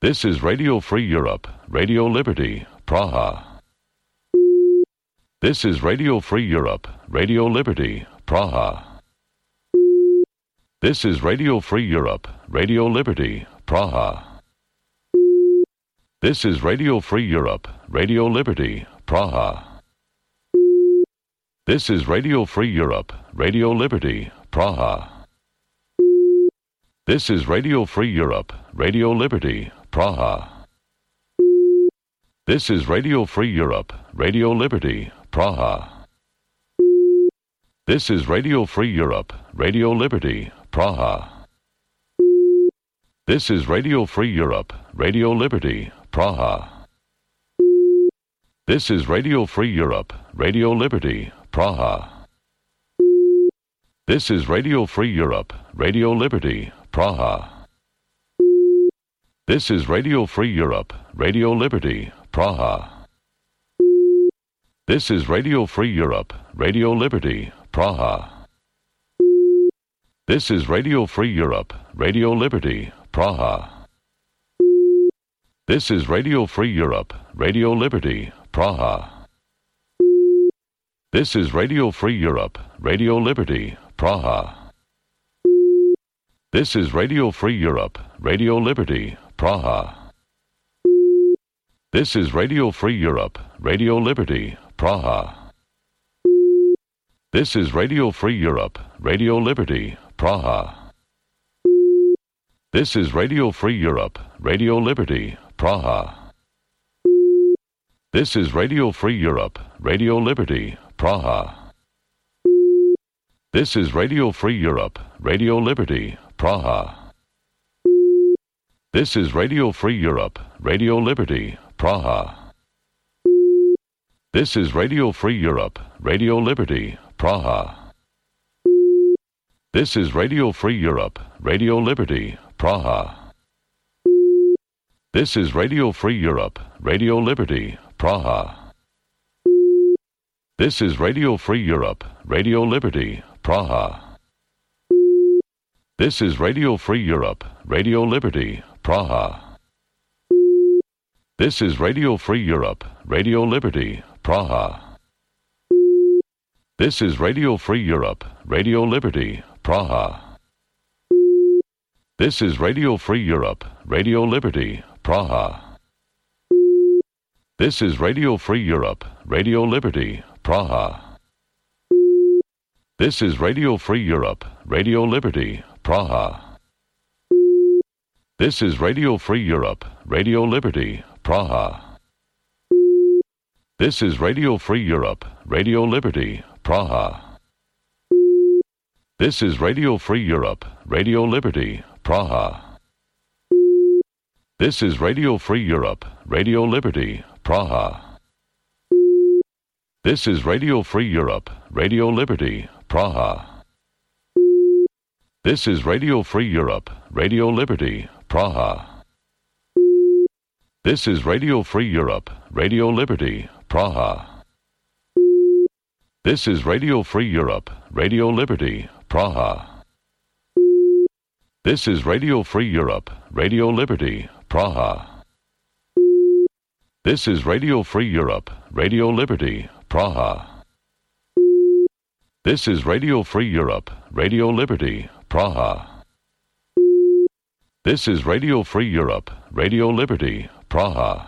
This is Radio Free Europe, Radio Liberty, Praha. This is Radio Free Europe, Radio Liberty, Praha. This is Radio Free Europe, Radio Liberty, Praha. This is Radio Free Europe, Radio Liberty, Praha. This is Radio Free Europe, Radio Liberty, Praha. This is Radio Free Europe, Radio Liberty, Praha. This is Radio Free Europe, Radio Liberty, Praha. This is Radio Free Europe, Radio Liberty, Praha. This is Radio Free Europe, Radio Liberty, Praha. This is Radio Free Europe, Radio Liberty, Praha. This is Radio Free Europe, Radio Liberty, Praha. This is Radio Free Europe, Radio Liberty, Praha. This is Radio Free Europe, Radio Liberty, Praha. This is Radio Free Europe, Radio Liberty, Praha. This is Radio Free Europe, Radio Liberty, Praha. This is Radio Free Europe, Radio Liberty, Praha. This is Radio Free Europe, Radio Liberty, Praha. This is Radio Free Europe, Radio Liberty, Praha. This is Radio Free Europe, Radio Liberty, Praha. This is Radio Free Europe, Radio Liberty, Praha. This is Radio Free Europe, Radio Liberty, Praha. This is Radio Free Europe, Radio Liberty, Praha. This is Radio Free Europe, Radio Liberty, Praha. This is Radio Free Europe, Radio Liberty, Praha. This is Radio Free Europe, Radio Liberty, Praha. This is Radio Free Europe, Radio Liberty, Praha. This is Radio Free Europe, Radio Liberty, Praha. This is Radio Free Europe, Radio Liberty, Praha. This is Radio Free Europe, Radio Liberty, Praha. This is Radio Free Europe, Radio Liberty, Praha. This is Radio Free Europe, Radio Liberty, Praha. This is Radio Free Europe, Radio Liberty, Praha. This is Radio Free Europe, Radio Liberty, Praha. This is Radio Free Europe, Radio Liberty, Praha. This is Radio Free Europe, Radio Liberty, Praha. This is Radio Free Europe, Radio Liberty, Praha. This is Radio Free Europe, Radio Liberty, Praha. This is Radio Free Europe, Radio Liberty, Praha. This is Radio Free Europe, Radio Liberty, Praha. This is Radio Free Europe, Radio Liberty, Praha. This is Radio Free Europe, Radio Liberty, Praha. This is Radio Free Europe, Radio Liberty, Praha. This is Radio Free Europe, Radio Liberty, Praha. This is Radio Free Europe, Radio Liberty, Praha.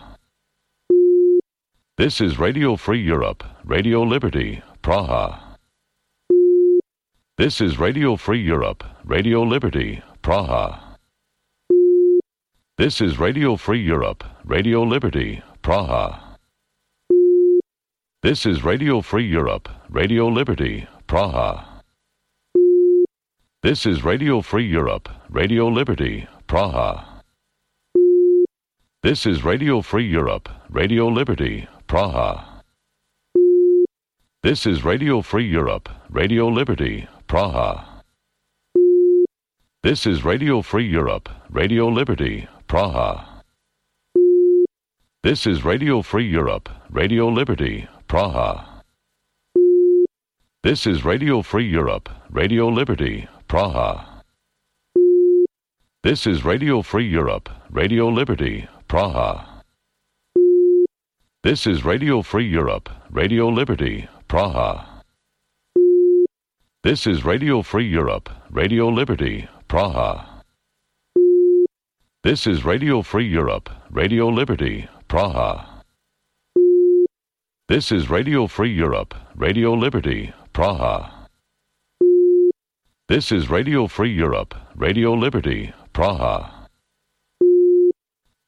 This is Radio Free Europe, Radio Liberty, Praha. This is Radio Free Europe, Radio Liberty, Praha. This is Radio Free Europe, Radio Liberty, Praha. This is Radio Free Europe, Radio Liberty, Praha. This is Radio Free Europe, Radio Liberty, Praha. This is Radio Free Europe, Radio Liberty, Praha. This is Radio Free Europe, Radio Liberty, Praha. This is Radio Free Europe, Radio Liberty, Praha. This is Radio Free Europe, Radio Liberty, Praha. This is Radio Free Europe, Radio Liberty, Praha. This is Radio Free Europe, Radio Liberty, Praha. This is Radio Free Europe, Radio Liberty, Praha. This is Radio Free Europe, Radio Liberty, Praha. This is Radio Free Europe, Radio Liberty, Praha. This is Radio Free Europe, Radio Liberty, Praha. This is Radio Free Europe, Radio Liberty, Praha. This is Radio Free Europe, Radio Liberty, Praha.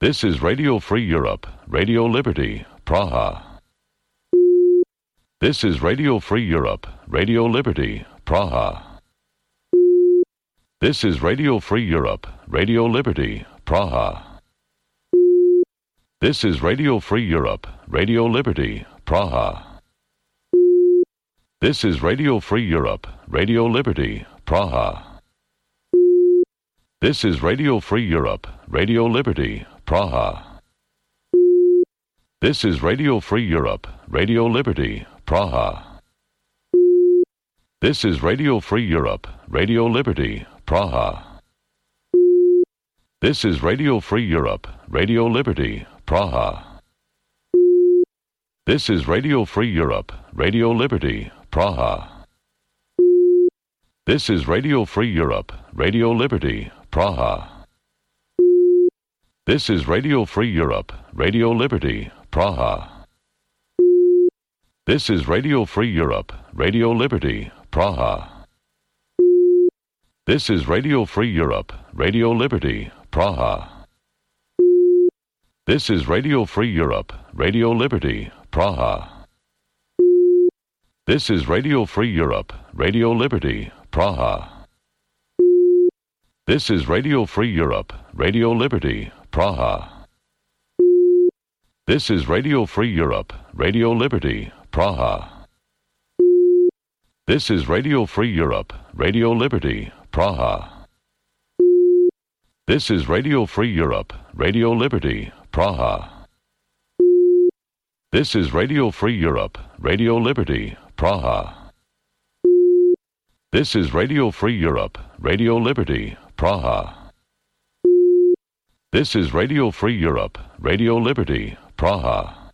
This is Radio Free Europe, Radio Liberty, Praha. This is Radio Free Europe, Radio Liberty, Praha. This is Radio Free Europe, Radio Liberty, Praha. This is Radio Free Europe, Radio Liberty, Praha. This is Radio Free Europe, Radio Liberty, Praha. This is Radio Free Europe, Radio Liberty, Praha. This is Radio Free Europe, Radio Liberty, Praha. This is Radio Free Europe, Radio Liberty, Praha. This is Radio Free Europe, Radio Liberty, Praha. This is Radio Free Europe, Radio Liberty, Praha. This is Radio Free Europe, Radio Liberty, Praha. This is Radio Free Europe, Radio Liberty, Praha. This is Radio Free Europe, Radio Liberty, Praha. This is Radio Free Europe, Radio Liberty, Praha. This is Radio Free Europe, Radio Liberty, Praha. This is Radio Free Europe, Radio Liberty, Praha. This is Radio Free Europe, Radio Liberty, Praha. This is Radio Free Europe, Radio Liberty, Praha. This is Radio Free Europe, Radio Liberty, Praha. This is Radio Free Europe, Radio Liberty, Praha. This is Radio Free Europe, Radio Liberty, Praha. This is Radio Free Europe, Radio Liberty, Praha. This is Radio Free Europe, Radio Liberty, Praha.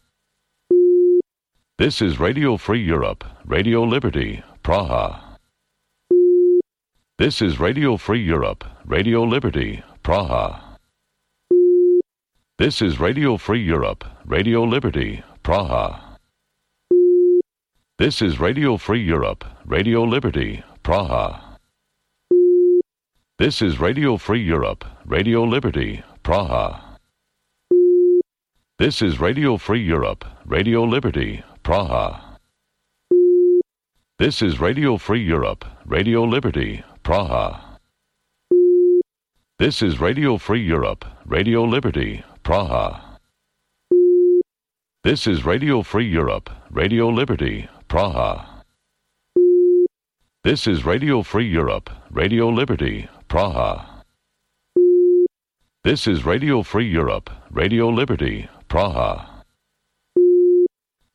This is Radio Free Europe, Radio Liberty, Praha. This is Radio Free Europe, Radio Liberty, Praha. This is Radio Free Europe, Radio Liberty, Praha. This is Radio Free Europe, Radio Liberty, Praha. This is Radio Free Europe, Radio Liberty, Praha. This is Radio Free Europe, Radio Liberty, Praha. This is Radio Free Europe, Radio Liberty, Praha. This is Radio Free Europe, Radio Liberty, Praha. This is Radio Free Europe, Radio Liberty, Praha. This is Radio Free Europe, Radio Liberty, Praha. This is Radio Free Europe, Radio Liberty, Praha.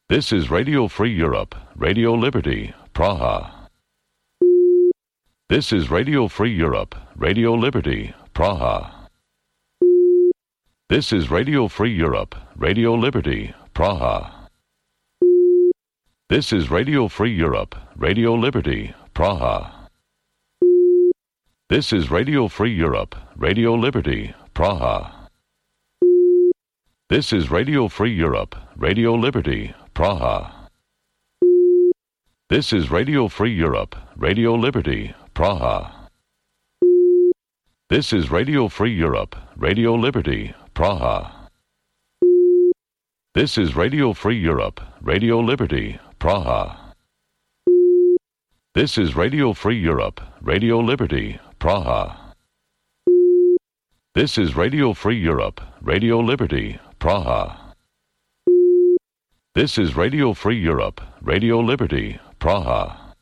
This is Radio Free Europe, Radio Liberty, Praha. This is Radio Free Europe, Radio Liberty, Praha. This is Radio Free Europe, Radio Liberty, Praha. This is Radio Free Europe, Radio Liberty, Praha. This is Radio Free Europe, Radio Liberty, Praha. This is Radio Free Europe, Radio Liberty, Praha. This is Radio Free Europe, Radio Liberty, Praha. This is Radio Free Europe, Radio Liberty, Praha. This is Radio Free Europe, Radio Liberty, Praha. This is Radio Free Europe, Radio Liberty, Praha. This is Radio Free Europe, Radio Liberty, Praha. This is Radio Free Europe, Radio Liberty, Praha.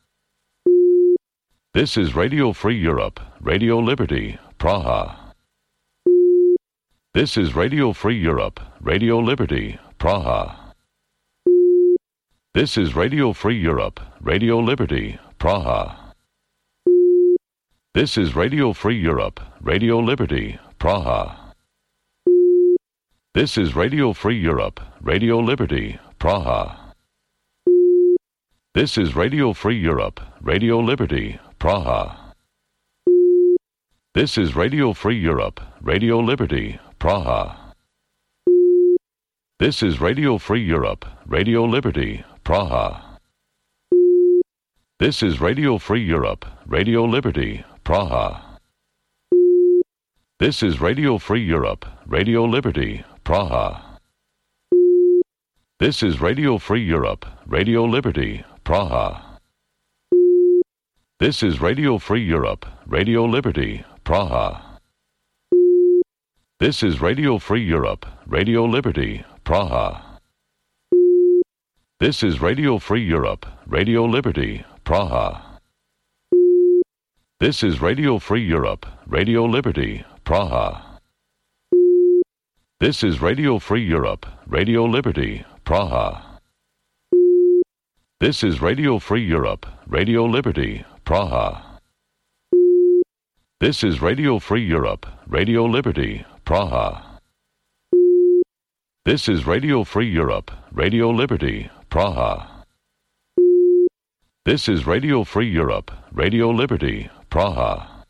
This is Radio Free Europe, Radio Liberty, Praha. This is Radio Free Europe, Radio Liberty, Praha. This is Radio Free Europe, Radio Liberty, Praha. This is Radio Free Europe, Radio Liberty, Praha. This is Radio Free Europe, Radio Liberty, Praha. This is Radio Free Europe, Radio Liberty, Praha. This is Radio Free Europe, Radio Liberty, Praha. This is Radio Free Europe, Radio Liberty, Praha. This is Radio Free Europe, Radio Liberty, Praha. This is Radio Free Europe, Radio Liberty, Praha. This is Radio Free Europe, Radio Liberty, Praha. This is Radio Free Europe, Radio Liberty, Praha. This is Radio Free Europe, Radio Liberty, Praha. This is Radio Free Europe, Radio Liberty, Praha. This is Radio Free Europe, Radio Liberty, Praha. This is Radio Free Europe, Radio Liberty, Praha. This is Radio Free Europe, Radio Liberty, Praha. This is Radio Free Europe, Radio Liberty, Praha. This is Radio Free Europe, Radio Liberty, Praha. This is Radio Free Europe, Radio Liberty, Praha.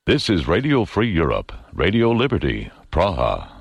This is Radio Free Europe, Radio Liberty, Praha.